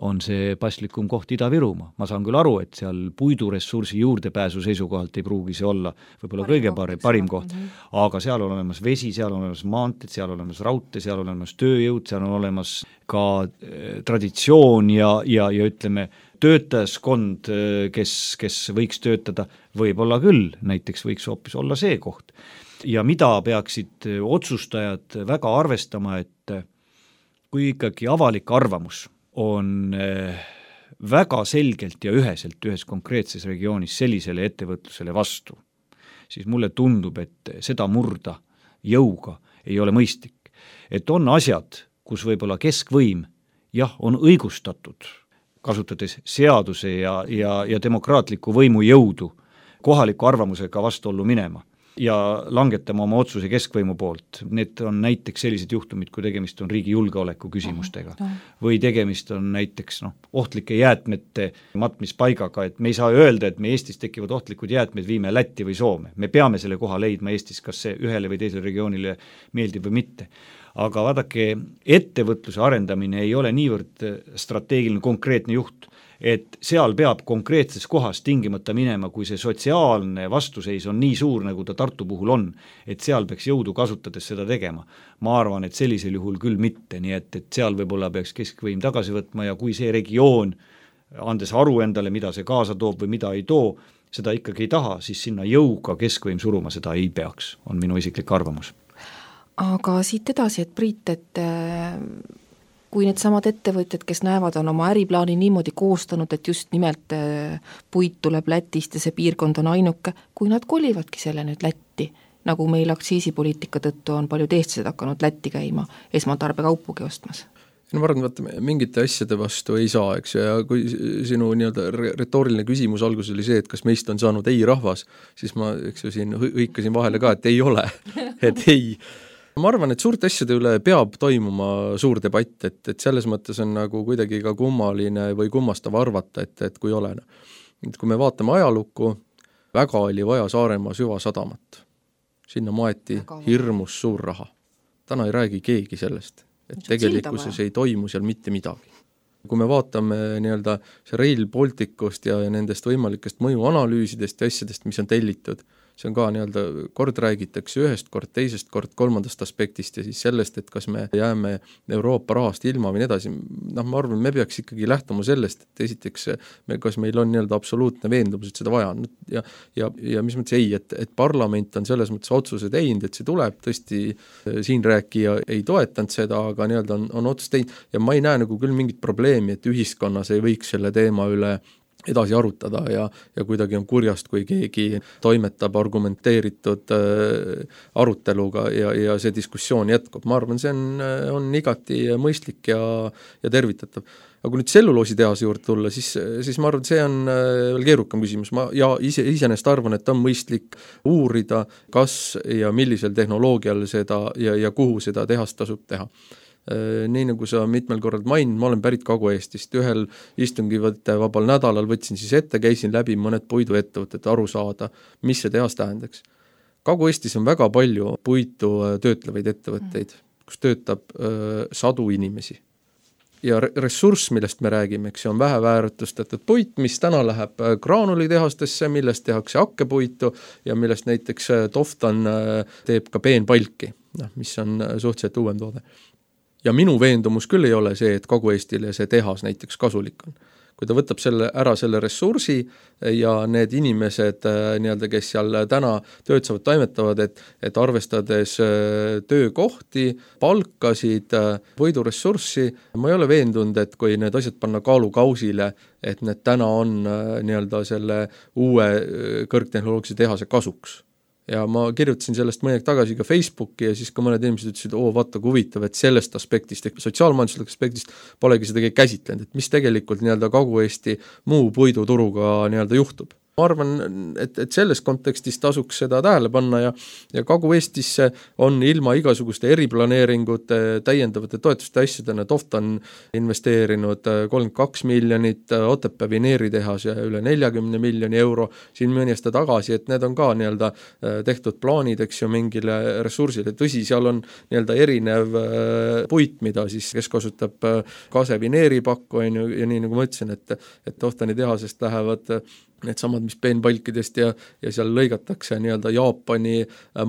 [SPEAKER 4] on see paslikum koht Ida-Virumaa. Ma saan küll aru, et seal puiduressursi juurdepääsu seisukohalt ei pruugi see olla võib-olla parim kõige parim, parim koht, aga seal on olemas vesi, seal on olemas maanteed, seal on olemas raudtee, seal on olemas tööjõud, seal on olemas ka äh, traditsioon ja, ja, ja ütleme, töötajaskond, kes, kes võiks töötada, võib-olla küll, näiteks võiks hoopis olla see koht. Ja mida peaksid otsustajad väga arvestama, et kui ikkagi avalik arvamus on väga selgelt ja üheselt ühes konkreetses regioonis sellisele ettevõtlusele vastu, siis mulle tundub, et seda murda jõuga ei ole mõistlik. Et on asjad, kus võib-olla keskvõim, jah, on õigustatud, kasutades seaduse ja, ja, ja demokraatliku võimu jõudu kohaliku arvamusega vastuollu minema ja langetama oma otsuse keskvõimu poolt. Need on näiteks sellised juhtumid, kui tegemist on riigi julgeoleku küsimustega või tegemist on näiteks no, ohtlike jäätmete matmispaigaga, et me ei saa öelda, et me Eestis tekivad ohtlikud jäätmed viime Lätti või Soome. Me peame selle koha leidma Eestis, kas see ühele või teisele regioonile meeldib või mitte. Aga vaadake, ettevõtluse arendamine ei ole niivõrd strateegiline konkreetne juht, et seal peab konkreetses kohas tingimata minema, kui see sotsiaalne vastuseis on nii suur, nagu ta Tartu puhul on, et seal peaks jõudu kasutades seda tegema. Ma arvan, et sellisel juhul küll mitte, nii et, et seal võib-olla peaks keskvõim tagasi võtma ja kui see regioon, andes aru endale, mida see kaasa toob või mida ei too, seda ikkagi ei taha, siis sinna jõuga keskvõim suruma seda ei peaks, on minu isiklik arvamus.
[SPEAKER 2] Aga siit edasi, et Priit, et kui need samad ettevõtjad, kes näevad, on oma äriplaani niimoodi koostanud, et just nimelt puit tuleb Lätist ja see piirkond on ainuke, kui nad kolivadki selle nüüd Lätti, nagu meil aktsiisipoliitika tõttu on paljud eestlased hakanud Lätti käima esmatarbekaupugi ostmas.
[SPEAKER 3] No ma arvan, vaata, mingite asjade vastu ei saa, eks, ja kui sinu nii-öelda retooriline küsimus alguses oli see, et kas meist on saanud ei rahvas, siis ma, eks ju, siin hõikasin vahele ka, et ei ole, et ei. Ma arvan, et suurte asjade üle peab toimuma suur debatt, et, et selles mõttes on nagu kuidagi ka kummaline või kummastav arvata, et, et kui ole. Et kui me vaatame ajalukku, väga oli vaja Saaremaa süvasadamat. Sinna maeti hirmus suur raha. Täna ei räägi keegi sellest, et tegelikkuses ei toimu seal mitte midagi. Kui me vaatame nii-öelda see Rail Balticust ja nendest võimalikest mõjuanalüüsidest ja asjadest, mis on tellitud, see on ka nii-öelda, kord räägitakse ühest kord, teisest kord, kolmandast aspektist ja siis sellest, et kas me jääme Euroopa rahast ilma või nii edasi. Noh, ma arvan, me peaks ikkagi lähtuma sellest, et esiteks, me, kas meil on nii-öelda absoluutne veendumus, et seda vaja on. Ja, ja, ja mis mõttes ei, et, et parlament on selles mõttes otsuse teinud, et see tuleb, tõesti siin rääkija ei toetanud seda, aga nii-öelda on, on otsus teinud ja ma ei näe nagu küll mingit probleemi, et ühiskonnas ei võiks selle teema üle edasi arutada ja, ja kuidagi on kurjast, kui keegi toimetab argumenteeritud äh, aruteluga ja, ja see diskussioon jätkub. Ma arvan, see on, on igati mõistlik ja, ja tervitatav. Aga kui nüüd selluloositehase juurde tulla, siis, siis ma arvan, see on veel keerukam küsimus. Ma ja ise, isenest arvan, et on mõistlik uurida, kas ja millisel tehnoloogial seda ja, ja kuhu seda tehast tasub teha. Nii nagu sa mitmel korral maininud, ma olen pärit Kagu-Eestist, ühel istungi vabal nädalal võtsin siis ette, käisin läbi mõned puiduettevõtted aru saada, mis see tehas tähendaks. Kagu-Eestis on väga palju puitu töötlevaid ettevõtteid, kus töötab öö, sadu inimesi. Ja ressurss, millest me räägime, see on väheväärtustatud puit, mis täna läheb graanulitehastesse, millest tehakse hakkepuitu ja millest näiteks Toftan teeb ka peenpalki, mis on suhteliselt uuem toode. Ja minu veendumus küll ei ole see, et Kagu-Eestile see tehas näiteks kasulik on. Kui ta võtab selle, ära selle ressursi ja need inimesed, nii-öelda, kes seal täna töötavad, toimetavad, et, et arvestades töökohti, palkasid, võiduressurssi, ma ei ole veendunud, et kui need asjad panna kaalukausile, et need täna on nii-öelda selle uue kõrgtehnoloogilise tehase kasuks. Ja ma kirjutasin sellest mõned tagasi ka Facebooki ja siis ka mõned inimesed ütlesid, oo, vaata, kui huvitav, et sellest aspektist, ehk sotsiaalmajanduslik aspektist polegi seda käsitlenud, et mis tegelikult nii-öelda Kagu-Eesti muu puiduturuga nii-öelda juhtub. Ma arvan, et, et selles kontekstis tasuks seda tähele panna ja, ja Kagu-Eestisse on ilma igasuguste eriplaneeringute, täiendavate toetuste asjadena Toftan investeerinud kolmkümmend kaks miljonit, Otepää vineeritehas ja üle nelikümmend miljoni euro siin mõni aasta tagasi, et need on ka nii-öelda tehtud plaanid, eks ju, mingile ressursile. Tõsi, seal on nii-öelda erinev puit, mida siis, kes kasutab kase vineeripakku, ja nii nagu ma ütlesin, et, et Toftani tehasest lähevad need samad, mis peenpalkidest ja, ja seal lõigatakse nii-öelda Jaapani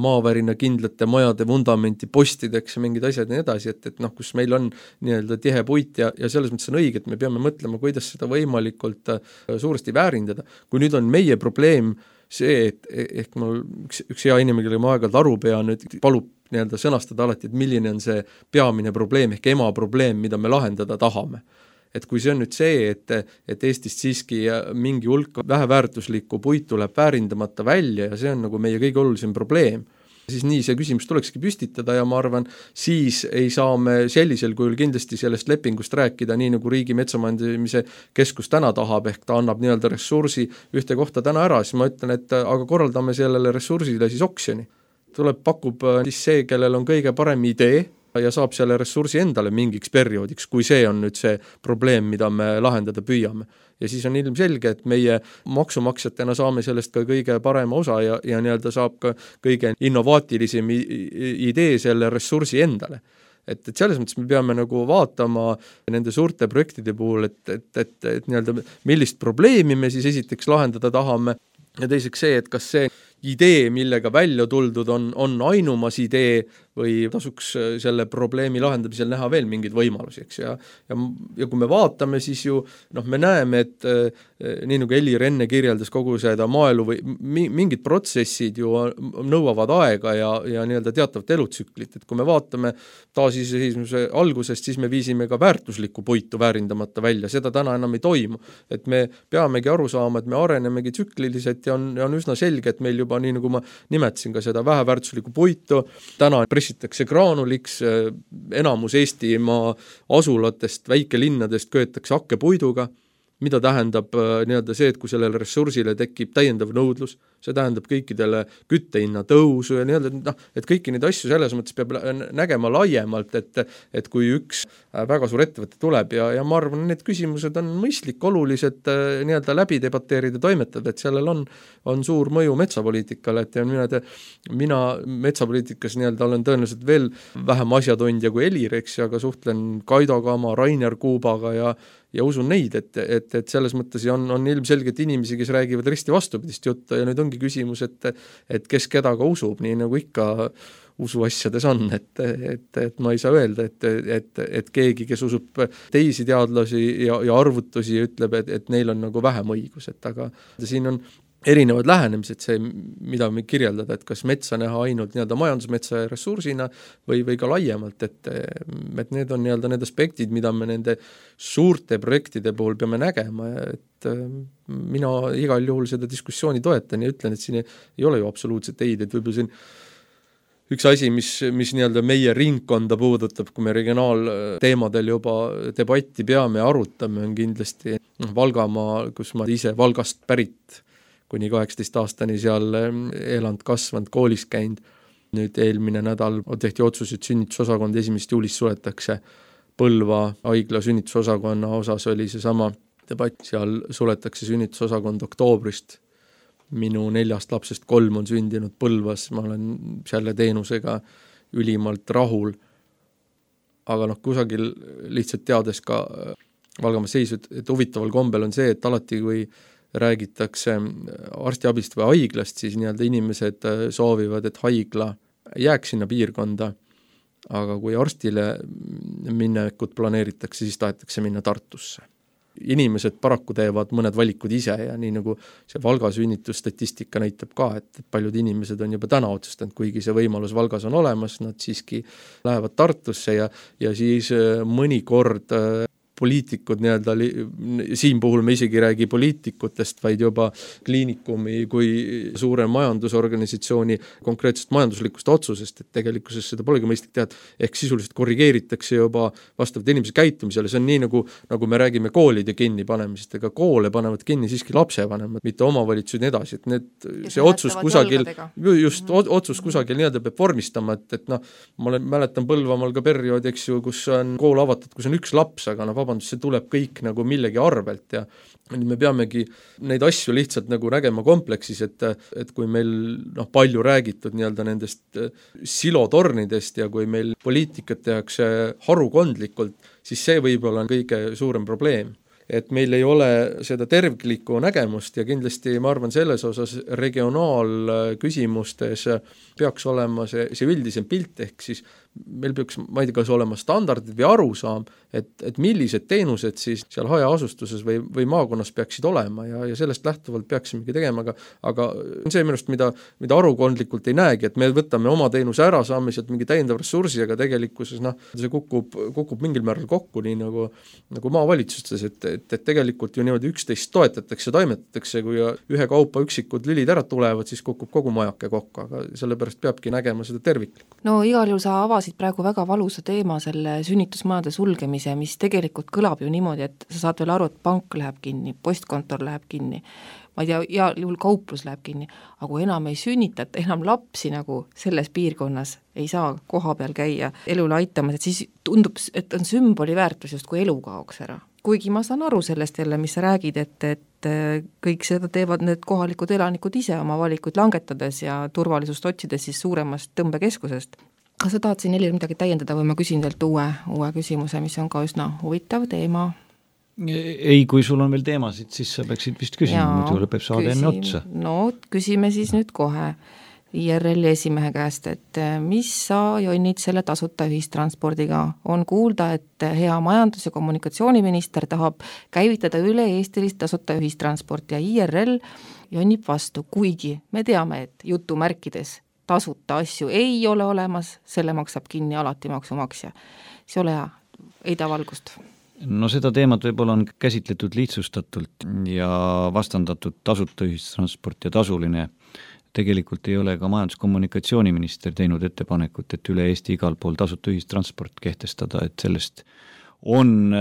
[SPEAKER 3] maavärina kindlate majade vundamenti postideks ja mingid asjad ja nii edasi, et, et noh, kus meil on nii-öelda tihe puit ja, ja selles mõttes on õige, et me peame mõtlema, kuidas seda võimalikult suuresti väärindada. Kui nüüd on meie probleem see, et ehk mul üks, üks hea inimene, kellega ma aeg-ajalt aru pean, nüüd palub nii-öelda sõnastada alati, et milline on see peamine probleem ehk ema probleem, mida me lahendada tahame. Et kui see on nüüd see, et, et Eestist siiski mingi hulk väheväärtuslikku puit tuleb väärindamata välja ja see on nagu meie kõige olulisem probleem, siis nii see küsimus tulekski püstitada ja ma arvan, siis ei saa me sellisel kujul kindlasti sellest lepingust rääkida, nii nagu Riigi Metsamajandamise Keskus täna tahab, ehk ta annab nii-öelda ressursi ühte kohta täna ära, siis ma ütlen, et aga korraldame sellele ressursile siis oksjoni. Tuleb, pakub siis see, kellel on kõige parem idee, ja saab selle ressursi endale mingiks perioodiks, kui see on nüüd see probleem, mida me lahendada püüame. Ja siis on ilmselge, et meie maksumaksjatena saame sellest ka kõige parema osa ja, ja nii-öelda saab ka kõige innovaatilisem idee selle ressursi endale. Et, et selles mõttes me peame nagu vaatama nende suurte projektide puhul, et, et, et, et nii-öelda millist probleemi me siis esiteks lahendada tahame ja teiseks see, et kas see idee, millega välja tuldud on, on ainumas idee või tasuks selle probleemi lahendamisel näha veel mingeid võimalusi, eks, ja, ja, ja kui me vaatame, siis ju noh, me näeme, et nii nagu Helir enne kirjeldas kogu seda maaelu või mingid protsessid ju nõuavad aega ja, ja nii-öelda teatavat elutsüklit, et kui me vaatame taasiseseisvuse algusest, siis me viisime ka väärtuslikku puitu väärindamata välja, seda täna enam ei toimu, et me peamegi aru saama, et me arenemegi tsükliliselt ja on, ja on üsna selge, et meil juba nii nagu ma nimetasin ka seda väheväärtuslikku puitu, täna pressitakse graanuliks, enamus Eestimaa asulatest, väikelinnadest köetakse hakkepuiduga, mida tähendab nii-öelda see, et kui sellele ressursile tekib täiendav nõudlus, see tähendab kõikidele küttehinna tõusu ja nii-öelda, noh, et kõiki neid asju selles mõttes peab nägema laiemalt, et, et kui üks väga suur ettevõte tuleb ja, ja ma arvan, need küsimused on mõistlik, olulised nii-öelda läbi debateerida, toimetada, et sellel on, on suur mõju metsapoliitikale, et ja mina, te, mina metsapoliitikas nii-öelda olen tõenäoliselt veel vähem asjatundja kui Helir, eks, aga suhtlen Kaido Kama, Rainer Kuubaga ja ja usun neid, et, et, et selles mõttes on, on ilmselgelt inimesi, kes räägivad risti vastupidist juttu ja nüüd ongi küsimus, et, et kes kedaga usub, nii nagu ikka usuasjades on, et, et, et ma ei saa öelda, et, et, et keegi, kes usub teisi teadlasi ja, ja arvutusi, ütleb, et, et neil on nagu vähem õigus, et aga siin on erinevad lähenemised, see, mida me kirjeldada, et kas metsa näha ainult nii-öelda majandusmetsa ressursina või, või ka laiemalt, et, et need on nii-öelda need aspektid, mida me nende suurte projektide puhul peame nägema, et mina igal juhul seda diskussiooni toetan ja ütlen, et siin ei, ei ole ju absoluutselt eid, et võib-olla siin üks asi, mis, mis nii-öelda meie ringkonda puudutab, kui me regionaalteemadel juba debatti peame ja arutame, on kindlasti Valgamaa, kus ma ise Valgast pärit kuni kaheksateist aastani seal elanud, kasvanud, koolis käinud. Nüüd eelmine nädal tehti otsus, et sünnitusosakond esimesest juulist suletakse. Põlva haigla sünnitusosakonna osas oli see sama debatt, seal suletakse sünnitusosakond oktoobrist. Minu neljast lapsest kolm on sündinud Põlvas, ma olen selle teenusega ülimalt rahul. Aga noh, kusagil lihtsalt teades ka Valgamaa seisu, et huvitaval kombel on see, et alati kui räägitakse arstiabist või haiglast, siis nii-öelda inimesed soovivad, et haigla jääks sinna piirkonda, aga kui arstile minnekut planeeritakse, siis tahetakse minna Tartusse. Inimesed paraku teevad mõned valikud ise ja nii nagu see Valga sünnitusstatistika näitab ka, et paljud inimesed on juba täna otsustanud, kuigi see võimalus Valgas on olemas, nad siiski lähevad Tartusse ja, ja siis mõnikord poliitikud nii-öelda, siin puhul me isegi räägi poliitikutest, vaid juba kliinikumi kui suure majandusorganisatsiooni konkreetsest majanduslikust otsusest, et tegelikkuses seda polegi mõistlik teha, ehk sisuliselt korrigeeritakse juba vastavalt inimese käitumisele, see on nii nagu, nagu me räägime koolide kinni panemisest, ega koole panevad kinni siiski lapsevanemad, mitte omavalitsused nii edasi, et need, see otsus kusagil, just otsus kusagil nii-öelda peab vormistama, et, et noh, ma olen, mäletan Põlvamaal ka periood, eks ju, kus on kool avatud, kus on üks laps, aga noh, see tuleb kõik nagu millegi arvelt ja me peamegi neid asju lihtsalt nagu nägema kompleksis, et, et kui meil noh, palju räägitud nii-öelda nendest silotornidest ja kui meil poliitikat tehakse harukondlikult, siis see võib-olla on kõige suurem probleem. Et meil ei ole seda terviklikku nägemust ja kindlasti ma arvan selles osas regionaalküsimustes peaks olema see, see üldisem pilt, ehk siis meil peaks, ma ei tea, kas olema standardid või arusaam, et, et millised teenused siis seal hajaasustuses või, või maakonnas peaksid olema ja, ja sellest lähtuvalt peaksimegi tegema, aga, aga see minust, mida, mida arukondlikult ei näegi, et me võtame oma teenuse ära, saame sealt mingi täiendav ressursi, aga tegelikkuses noh, see kukub, kukub mingil määral kokku, nii nagu, nagu maavalitsustes, et, et, et tegelikult ju niimoodi üksteist toetatakse, toimetatakse, kui ühe kaupa üksikud lülid ära tulevad, siis kukub kogu majake kokku, aga sellepärast peabki nägema seda terviklikku.
[SPEAKER 2] No igal juhul sa avasid praegu väga valusa teema selle sünnitusmajade sulgemise, mis tegelikult kõlab ju niimoodi, et sa saad veel aru, et pank läheb kinni, postkontor läheb kinni, ma ei tea, ja juhul kauplus läheb kinni, aga kui enam ei sünnitata, enam lapsi nagu selles piirkonnas ei saa koha peal käia elule aitamas, et siis tundub, et on sümboli väärtus just kui elu kaoks ära. Kuigi ma saan aru sellest jälle, mis sa räägid, et, et kõik seda teevad need kohalikud elanikud ise oma valikuid langetades ja turvalisust otsides siis suuremast tõmbekeskusest. Kas sa tahad siin Helir midagi täiendada või ma küsin teilt uue, uue küsimuse, mis on ka üsna huvitav teema?
[SPEAKER 4] Ei, kui sul on veel teemasid, siis sa peaksid vist küsima, muidu lõpeb saade enne otsa.
[SPEAKER 2] No küsime siis nüüd kohe I R L esimehe käest, et mis sa jonnid selle tasuta ühistranspordiga? On kuulda, et hea majandus- ja kommunikatsiooniminister tahab käivitada üle eestilist tasuta ühistransport ja I R L jonnib vastu, kuigi me teame, et jutumärkides tasuta asju ei ole olemas, selle maksab kinni alati maksumaksja. See ole hea, ei ta valgust.
[SPEAKER 4] No seda teemat võib-olla on käsitletud lihtsustatult ja vastandatud tasuta ühistransport ja tasuline. Tegelikult ei ole ka majandus-kommunikatsiooniminister teinud ettepanekut, et üle Eesti igal pool tasuta ühistransport kehtestada, et sellest on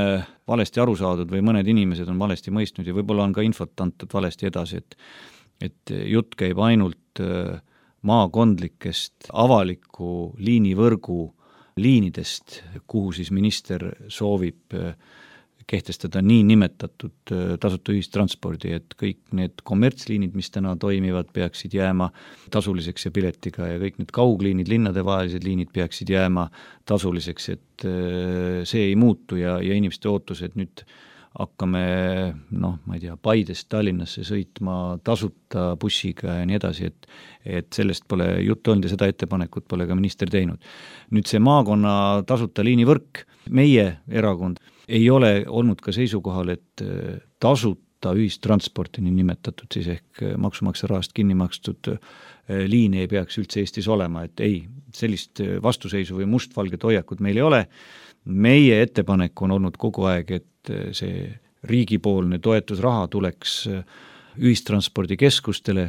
[SPEAKER 4] valesti aru saadud või mõned inimesed on valesti mõistnud ja võib-olla on ka infot antud valesti edasi, et, et jutt käib ainult maakondlikest avaliku liinivõrgu liinidest, kuhu siis minister soovib kehtestada nii nimetatud tasuta ühistranspordi, et kõik need kommertsliinid, mis täna toimivad, peaksid jääma tasuliseks ja piletiga ja kõik need kaugliinid, linnadevahelised liinid peaksid jääma tasuliseks, et see ei muutu ja, ja inimeste ootused nüüd hakkame, noh, ma ei tea, Paidest Tallinnasse sõitma tasuta bussiga ja nii edasi, et, et sellest pole juttu olnud ja seda ettepanekut pole ka minister teinud. Nüüd see maakonna tasuta liinivõrk, meie erakond ei ole olnud ka seisukohal, et tasuta ühistransporti nii nimetatud siis ehk maksumaksja rahast kinni makstud liini ei peaks üldse Eestis olema, et ei, sellist vastuseisu või mustvalget hoiakut meil ei ole. Meie ettepanek on olnud kogu aeg, et see riigipoolne toetusraha tuleks ühistranspordikeskustele,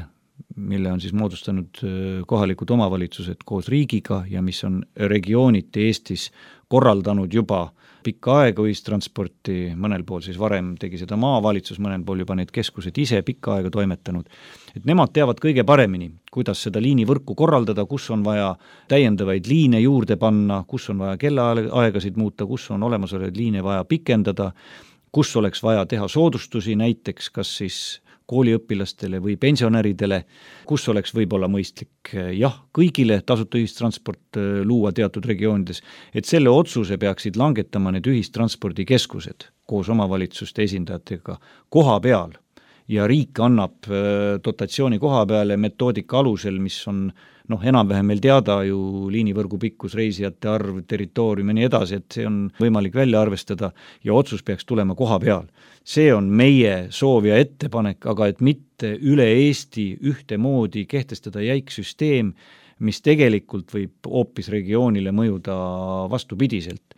[SPEAKER 4] mille on siis moodustanud kohalikud omavalitsused koos riigiga ja mis on regiooniti Eestis korraldanud juba pikka aega ühistransporti, mõnel pool siis varem tegi seda maavalitsus, mõnel pool juba need keskused ise pikka aega toimetanud. Et nemad teavad kõige paremini, kuidas seda liinivõrku korraldada, kus on vaja täiendavaid liine juurde panna, kus on vaja kellaaegasid muuta, kus on olemasolevaid liine vaja pikendada, kus oleks vaja teha soodustusi, näiteks kas siis kooliõpilastele või pensionäridele, kus oleks võib-olla mõistlik jah, kõigile tasuta ühistransport luua teatud regioonides, et selle otsuse peaksid langetama need ühistranspordikeskused koos omavalitsuste esindajatega koha peal ja riik annab dotatsiooni koha peale metoodika alusel, mis on noh, enam-vähem meil teada ju liinivõrgu pikkus, reisijate arv, territoorium ja nii edasi, et see on võimalik välja arvestada ja otsus peaks tulema koha peal. See on meie soov ja ettepanek, aga et mitte üle Eesti ühtemoodi kehtestada jäik süsteem, mis tegelikult võib hoopis regioonile mõjuda vastupidiselt.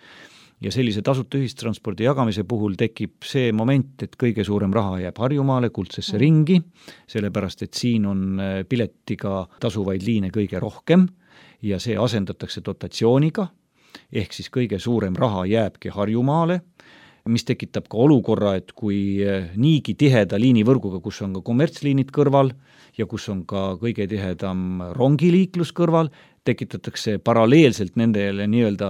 [SPEAKER 4] Ja sellise tasuta ühistranspordi jagamise puhul tekib see moment, et kõige suurem raha jääb Harjumaale, kuldsesse mm. ringi, sellepärast et siin on piletiga tasuvaid liine kõige rohkem ja see asendatakse dotatsiooniga, ehk siis kõige suurem raha jääbki Harjumaale, mis tekitab ka olukorra, et kui niigi tiheda liinivõrguga, kus on ka kommertsliinid kõrval ja kus on ka kõige tihedam rongiliiklus kõrval, tekitatakse paralleelselt nendele nii-öelda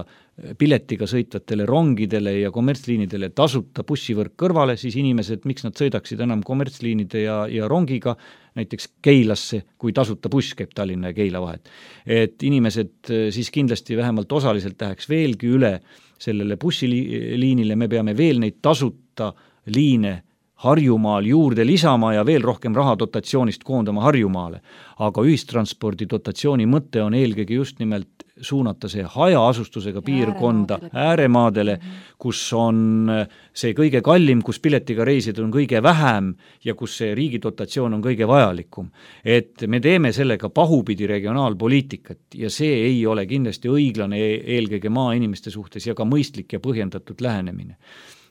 [SPEAKER 4] piletiga sõitvatele rongidele ja kommertsliinidele tasuta bussivõrk kõrvale, siis inimesed, miks nad sõidaksid enam kommertsliinide ja, ja rongiga näiteks Keilasse, kui tasuta buss käib Tallinna ja Keila vahet. Et inimesed siis kindlasti vähemalt osaliselt läheks veelgi üle sellele bussiliinile, me peame veel neid tasuta liine Harjumaal juurde lisama ja veel rohkem raha dotatsioonist koondama Harjumaale. Aga ühistranspordi dotatsiooni mõte on eelkõige just nimelt suunata see hajaasustusega piirkonda ääremaadele, kus on see kõige kallim, kus piletiga reisid on kõige vähem ja kus see riigi dotatsioon on kõige vajalikum. Et me teeme sellega pahupidi regionaalpoliitikat ja see ei ole kindlasti õiglane eelkõige maainimeste suhtes ja ka mõistlik ja põhjendatud lähenemine.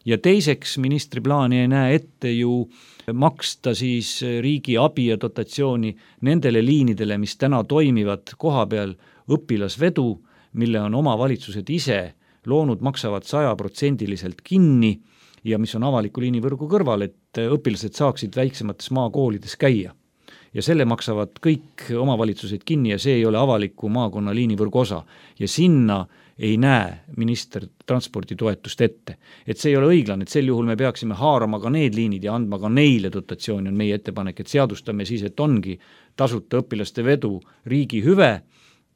[SPEAKER 4] Ja teiseks ministri plaani ei näe ette ju maksta siis riigi abi ja dotatsiooni nendele liinidele, mis täna toimivad koha peal õpilasvedu, mille on omavalitsused ise loonud, maksavad sajaprotsendiliselt kinni ja mis on avaliku liinivõrgu kõrval, et õpilased saaksid väiksemates maakoolides käia. Ja selle maksavad kõik omavalitsused kinni ja see ei ole avaliku maakonna liinivõrgu osa. Ja sinna ei näe minister transporditoetust ette. Et see ei ole õiglane, et sel juhul me peaksime haarama ka need liinid ja andma ka neile dotatsiooni, on meie ettepanek, et seadustame siis, et ongi tasuta õpilaste vedu riigi hüve,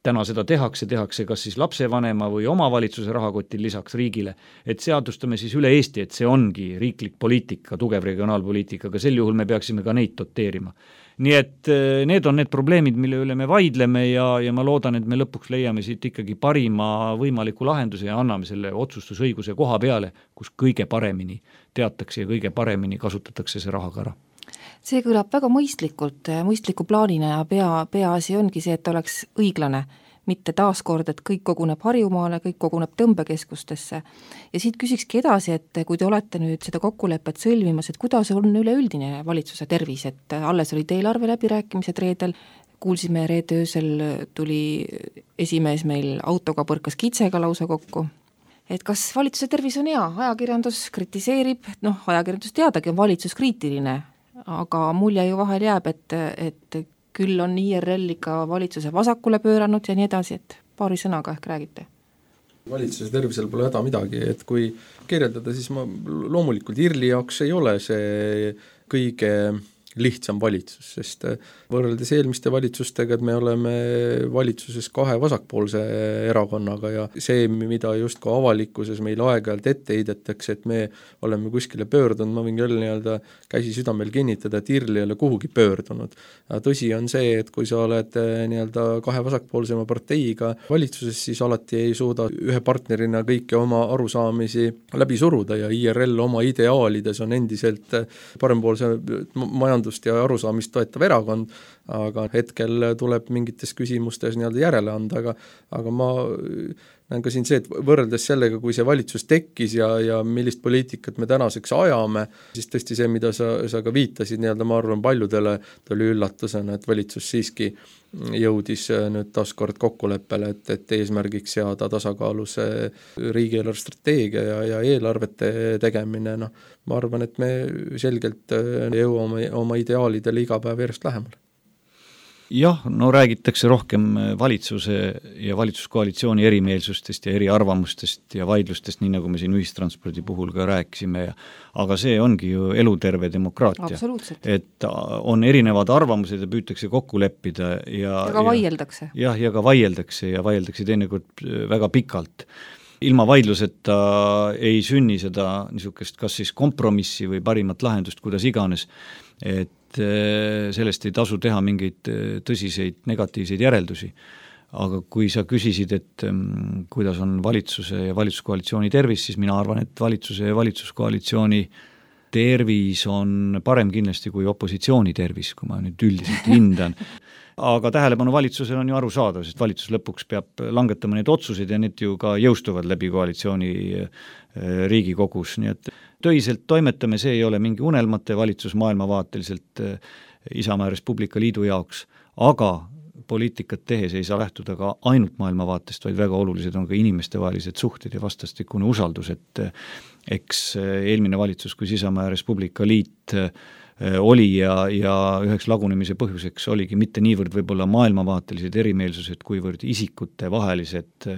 [SPEAKER 4] täna seda tehakse, tehakse kas siis lapsevanema või omavalitsuse rahakotil lisaks riigile, et seadustame siis üle Eesti, et see ongi riiklik poliitika, tugev regionaalpoliitika, aga sel juhul me peaksime ka neid doteerima. Nii et need on need probleemid, mille üle me vaidleme ja, ja ma loodan, et me lõpuks leiame siit ikkagi parima võimaliku lahenduse ja anname selle otsustusõiguse koha peale, kus kõige paremini teatakse ja kõige paremini kasutatakse see raha ka ära.
[SPEAKER 2] See kõlab väga mõistlikult, mõistliku plaanina ja pea, peaasi ongi see, et oleks õiglane, mitte taaskord, et kõik koguneb Harjumaale, kõik koguneb tõmbekeskustesse. Ja siit küsikski edasi, et kui te olete nüüd seda kokkulepet sõlmimas, et kuidas on üleüldine valitsuse tervis, et alles olid eelarve läbirääkimised reedel, kuulsime reede öösel tuli esimees meil autoga põrkas kitsega lausa kokku. Et kas valitsuse tervis on hea, ajakirjandus kritiseerib, noh, ajakirjandus teadagi on valitsus kriitiline, aga mulje ju vahel jääb, et, et küll on I R L ikka valitsuse vasakule pööranud ja nii edasi, et paari sõnaga ehk räägite.
[SPEAKER 3] Valitsuse tervisel pole häda midagi, et kui kirjeldada, siis ma loomulikult I R L-i jaoks ei ole see kõige lihtsam valitsus, sest võrreldes eelmiste valitsustega, et me oleme valitsuses kahe vasakpoolse erakonnaga ja see, mida just ka avalikkuses meil aeg-ajalt ette heidetakse, et me oleme kuskile pöördunud, ma võin küll nii-öelda käsi südamel kinnitada, et I R L ei ole kuhugi pöördunud. Tõsi on see, et kui sa oled nii-öelda kahe vasakpoolsema parteiga valitsuses, siis alati ei suuda ühe partnerina kõiki oma arusaamisi läbi suruda ja I R L oma ideaalides on endiselt parempoolse majandus ja arusaamist toetav erakond, aga hetkel tuleb mingites küsimustes nii-öelda järele anda, aga, aga ma näen ka siin see, et võrreldes sellega, kui see valitsus tekkis ja, ja millist poliitikat me tänaseks ajame, siis tõesti see, mida sa, sa ka viitasid, nii-öelda ma arvan paljudele tuli üllatusena, et valitsus siiski jõudis nüüd taaskord kokkuleppele, et, et eesmärgiks seada tasakaalus riigieelarve strateegia ja, ja eelarvete tegemine, noh, ma arvan, et me selgelt jõuame oma ideaalidele iga päev järjest lähemale.
[SPEAKER 4] Jah, no räägitakse rohkem valitsuse ja valitsuskoalitsiooni erimeelsustest ja eriarvamustest ja vaidlustest, nii nagu me siin ühistranspordi puhul ka rääkisime, ja, aga see ongi ju eluterve demokraatia. Et on erinevad arvamused ja püütakse kokku leppida. Ja,
[SPEAKER 2] ja ka vaieldakse.
[SPEAKER 4] Ja, ja ka vaieldakse ja vaieldakse teinekord väga pikalt. Ilma vaidluseta ei sünni seda niisugust kas siis kompromissi või parimat lahendust, kuidas iganes, et sellest ei tasu teha mingeid tõsiseid negatiivseid järeldusi. Aga kui sa küsisid, et kuidas on valitsuse ja valitsuskoalitsiooni tervis, siis mina arvan, et valitsuse ja valitsuskoalitsiooni tervis on parem kindlasti kui opositsiooni tervis, kui ma nüüd üldiselt hindan. Aga tähelepanu valitsusel on ju aru saada, sest valitsus lõpuks peab langetama need otsused ja need ju ka jõustuvad läbi koalitsiooni Riigikogus, nii et töiselt toimetame, see ei ole mingi unelmate valitsus maailmavaateliselt Isamaa Res Publica Liidu jaoks, aga poliitikat tehes ei saa lähtuda ka ainult maailmavaatest, vaid väga olulised on ka inimestevahelised suhted ja vastastikune usaldus, et eks eelmine valitsus, kui Isamaa Res Publica Liit oli ja, ja üheks lagunemise põhjuseks oligi mitte niivõrd võib-olla maailmavaatelised erimeelsused, kuivõrd isikute vahelised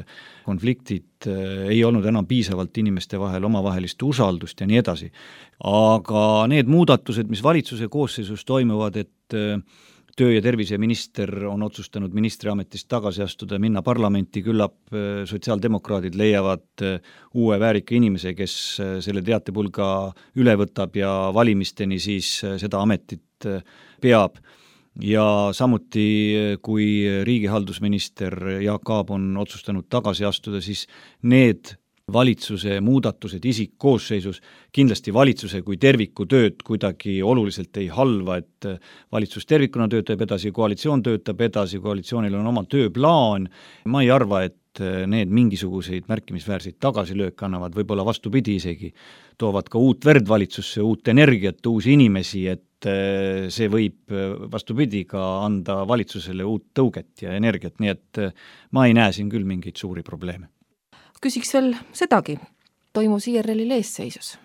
[SPEAKER 4] konfliktid ei olnud enam piisavalt inimeste vahel omavahelist usaldust ja nii edasi. Aga need muudatused, mis valitsuse koosseisus toimuvad, et töö- ja terviseminister on otsustanud ministriametist tagasi astuda ja minna parlamenti, küllap sotsiaaldemokraadid leiavad uue väärika inimese, kes selle teatepulga üle võtab ja valimisteni siis seda ametit peab. Ja samuti, kui riigihaldusminister Jaak Aab on otsustanud tagasi astuda, siis need valitsuse muudatused isikkoosseisus kindlasti valitsuse kui terviku tööd kuidagi oluliselt ei halva, et valitsus tervikuna töötab edasi, koalitsioon töötab edasi, koalitsioonil on oma tööplaan. Ma ei arva, et need mingisuguseid märkimisväärseid tagasilööke annavad, võib-olla vastupidi isegi, toovad ka uut verd valitsusse, uut energiat, uusi inimesi, et see võib vastupidi ka anda valitsusele uut tõuget ja energiat, nii et ma ei näe siin küll mingeid suuri probleeme.
[SPEAKER 2] Küsiks veel sedagi, toimus I R L-il eesseisus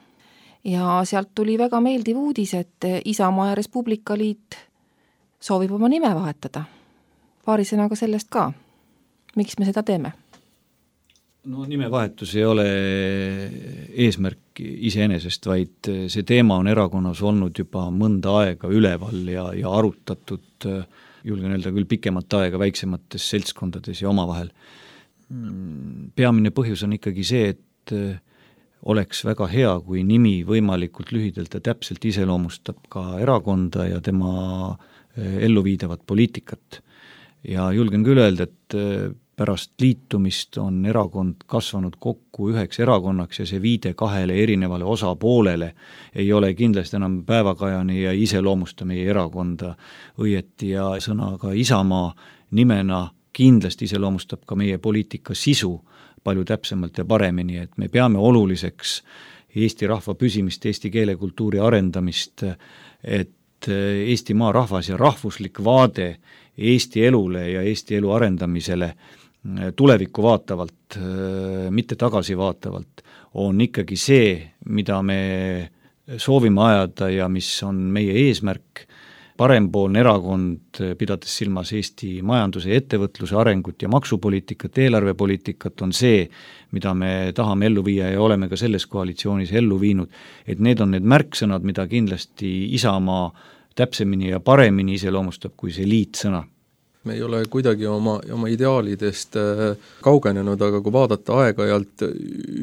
[SPEAKER 2] ja sealt tuli väga meeldiv uudis, et Isamaa ja Res Publica Liit soovib oma nime vahetada. Paari sõnaga sellest ka. Miks me seda teeme?
[SPEAKER 4] No nimevahetus ei ole eesmärk iseenesest, vaid see teema on erakonnas olnud juba mõnda aega üleval ja, ja arutatud julgen öelda küll pikemat aega väiksemates seltskondades ja omavahel. Peamine põhjus on ikkagi see, et oleks väga hea, kui nimi võimalikult lühidalt ja täpselt iseloomustab ka erakonda ja tema elluviidavat poliitikat. Ja julgen küll öelda, et pärast liitumist on erakond kasvanud kokku üheks erakonnaks ja see viide kahele erinevale osapoolele ei ole kindlasti enam päevakajani ja iseloomusta meie erakonda õieti ja sõnaga Isamaa nimena kindlasti iseloomustab ka meie poliitika sisu palju täpsemalt ja paremini, et me peame oluliseks Eesti rahva püsimist, eesti keele kultuuri arendamist, et Eesti maa rahvas ja rahvuslik vaade Eesti elule ja Eesti elu arendamisele tulevikku vaatavalt, mitte tagasi vaatavalt, on ikkagi see, mida me soovime ajada ja mis on meie eesmärk, parempoolne erakond, pidades silmas Eesti majanduse ja ettevõtluse arengut ja maksupoliitikat, eelarvepoliitikat, on see, mida me tahame ellu viia ja oleme ka selles koalitsioonis ellu viinud, et need on need märksõnad, mida kindlasti Isamaa täpsemini ja paremini iseloomustab kui see liitsõna.
[SPEAKER 3] Me ei ole kuidagi oma, oma ideaalidest kaugenenud, aga kui vaadata aeg-ajalt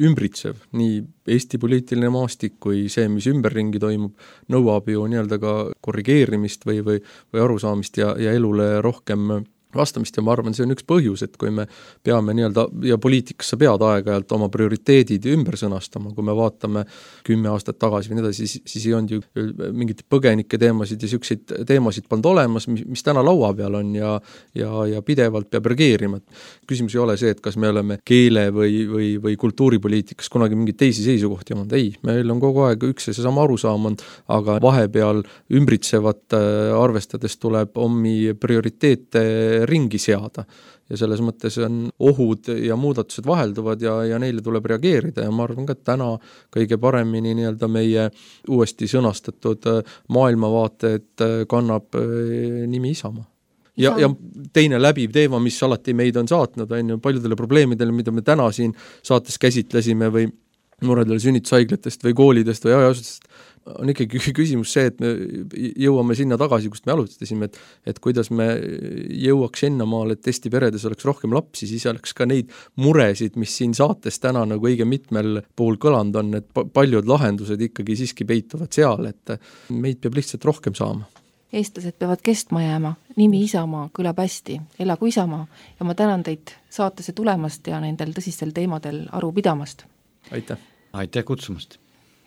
[SPEAKER 3] ümbritsev, nii Eesti poliitiline maastik kui see, mis ümberringi toimub, nõuab ju nii-öelda ka korrigeerimist või, või, või arusaamist ja, ja elule rohkem vastamist ja ma arvan, see on üks põhjus, et kui me peame nii-öelda, ja poliitikasse pead aeg-ajalt oma prioriteedid ümber sõnastama, kui me vaatame kümme aastat tagasi või nii edasi, siis, siis ei olnud ju mingid põgenike teemasid ja selliseid teemasid polnud olemas, mis, mis täna laua peal on ja, ja, ja pidevalt peab reageerima. Küsimus ei ole see, et kas me oleme keele või, või, või kultuuripoliitikas kunagi mingeid teisi seisukohti olnud. Ei, meil on kogu aeg üks ja seesama arusaam on, aga vahepeal ümbritsevat arvestades tuleb omi prioriteete ringi seada ja selles mõttes on ohud ja muudatused vahelduvad ja, ja neile tuleb reageerida ja ma arvan ka, et täna kõige paremini nii-öelda meie uuesti sõnastatud maailmavaated kannab nimi Isamaa. Ja, ja teine läbiv teema, mis alati meid on saatnud, on ju paljudele probleemidele, mida me täna siin saates käsitlesime või muredele sünnitushaiglatest või koolidest või ajasutustest, on ikkagi küsimus see, et me jõuame sinna tagasi, kust me alustasime, et, et kuidas me jõuaks ennamaal, et Eesti peredes oleks rohkem lapsi, siis oleks ka neid muresid, mis siin saates täna nagu õige mitmel puhul kõlanud on, et paljud lahendused ikkagi siiski peituvad seal, et meid peab lihtsalt rohkem saama.
[SPEAKER 2] Eestlased peavad kestma jääma, nimi Isamaa kõlab hästi, elagu Isamaa ja ma tänan teid saatesse tulemast ja nendel tõsistel teemadel aru pidamast.
[SPEAKER 3] Aitäh!
[SPEAKER 4] Aitäh kutsumast!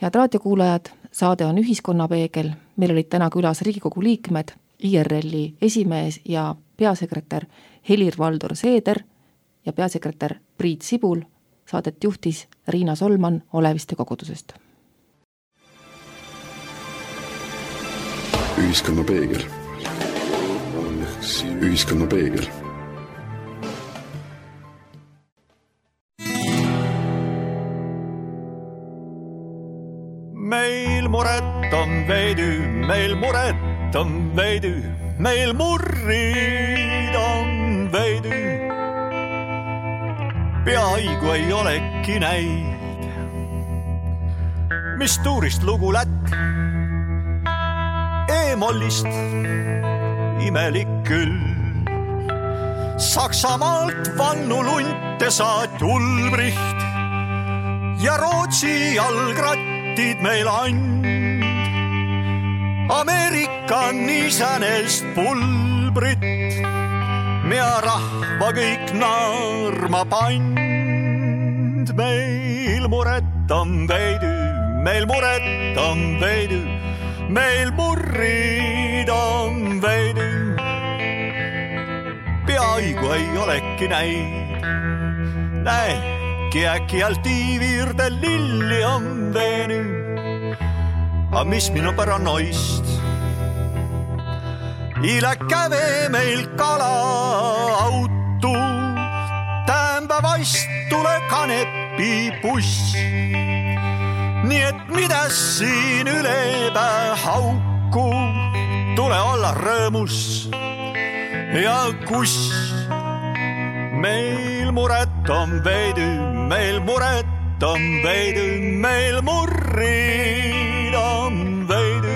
[SPEAKER 2] Head raadiokuulajad, saade on Ühiskonnapeegel, meil olid täna külas Riigikogu liikmed, I R L-i esimees ja peasekretär Helir-Valdor Seeder ja peasekretär Priit Sibul, saadet juhtis Riina Solman Oleviste kogudusest.
[SPEAKER 1] Ühiskonnapeegel. Ühiskonnapeegel.
[SPEAKER 5] Meil muret on veidi, meil muret on veidi, meil murrid on veidi. Peaigu ei olegi näid, mis tuurist lugu lätt, E-mollist imelik küll. Saksamaalt vannu lunte saat Ulbricht ja Rootsi jalgrat meil and. Ameerikan isänest pulbrit, mea rahva kõik naarma pand. Meil muret on veidi, meil muret on veidi, meil murrid on veidi. Peaigu ei olegi näid, näeki äkki alt iivirde lilli on veeni. A mis minu paranoist? Ila käve meil kala auto, tämba vaist tule kanepi buss. Nii et mida siin ülepää hauku, tule olla rõõmus ja kus. Meil muret on veidi, meil muret on veidi, meil murrid on veidi.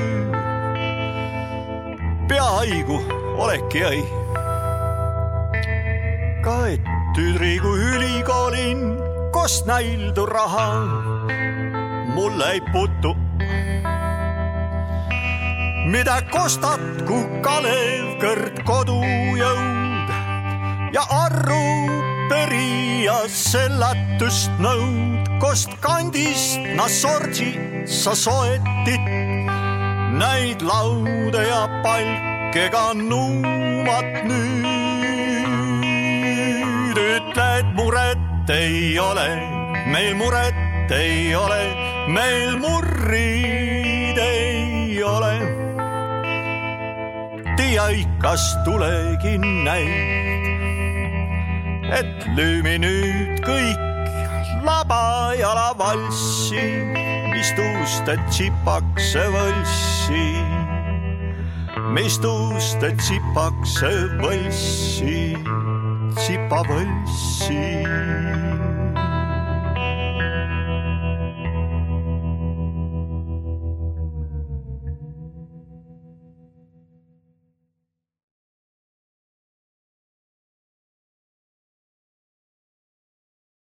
[SPEAKER 5] Peaigu olekki ei. Ka et tüdrigu ülikoolin, kost näildu raha, mulle ei putu. Mida kostatku Kalev kõrd kodujõud ja arru perija sellatust nõud, kost kandist na sorgi sa soetit, näid laude ja palkega nuumat nüüd. Ütled muret ei ole, meil muret ei ole, meil murrid ei ole. Tia ikas tulegi näid, et lüümi nüüd kõik laba jala valssi, mis tuust, et tsipakse võlssi, mis tuust, et tsipakse võlssi, tsipa võlssi.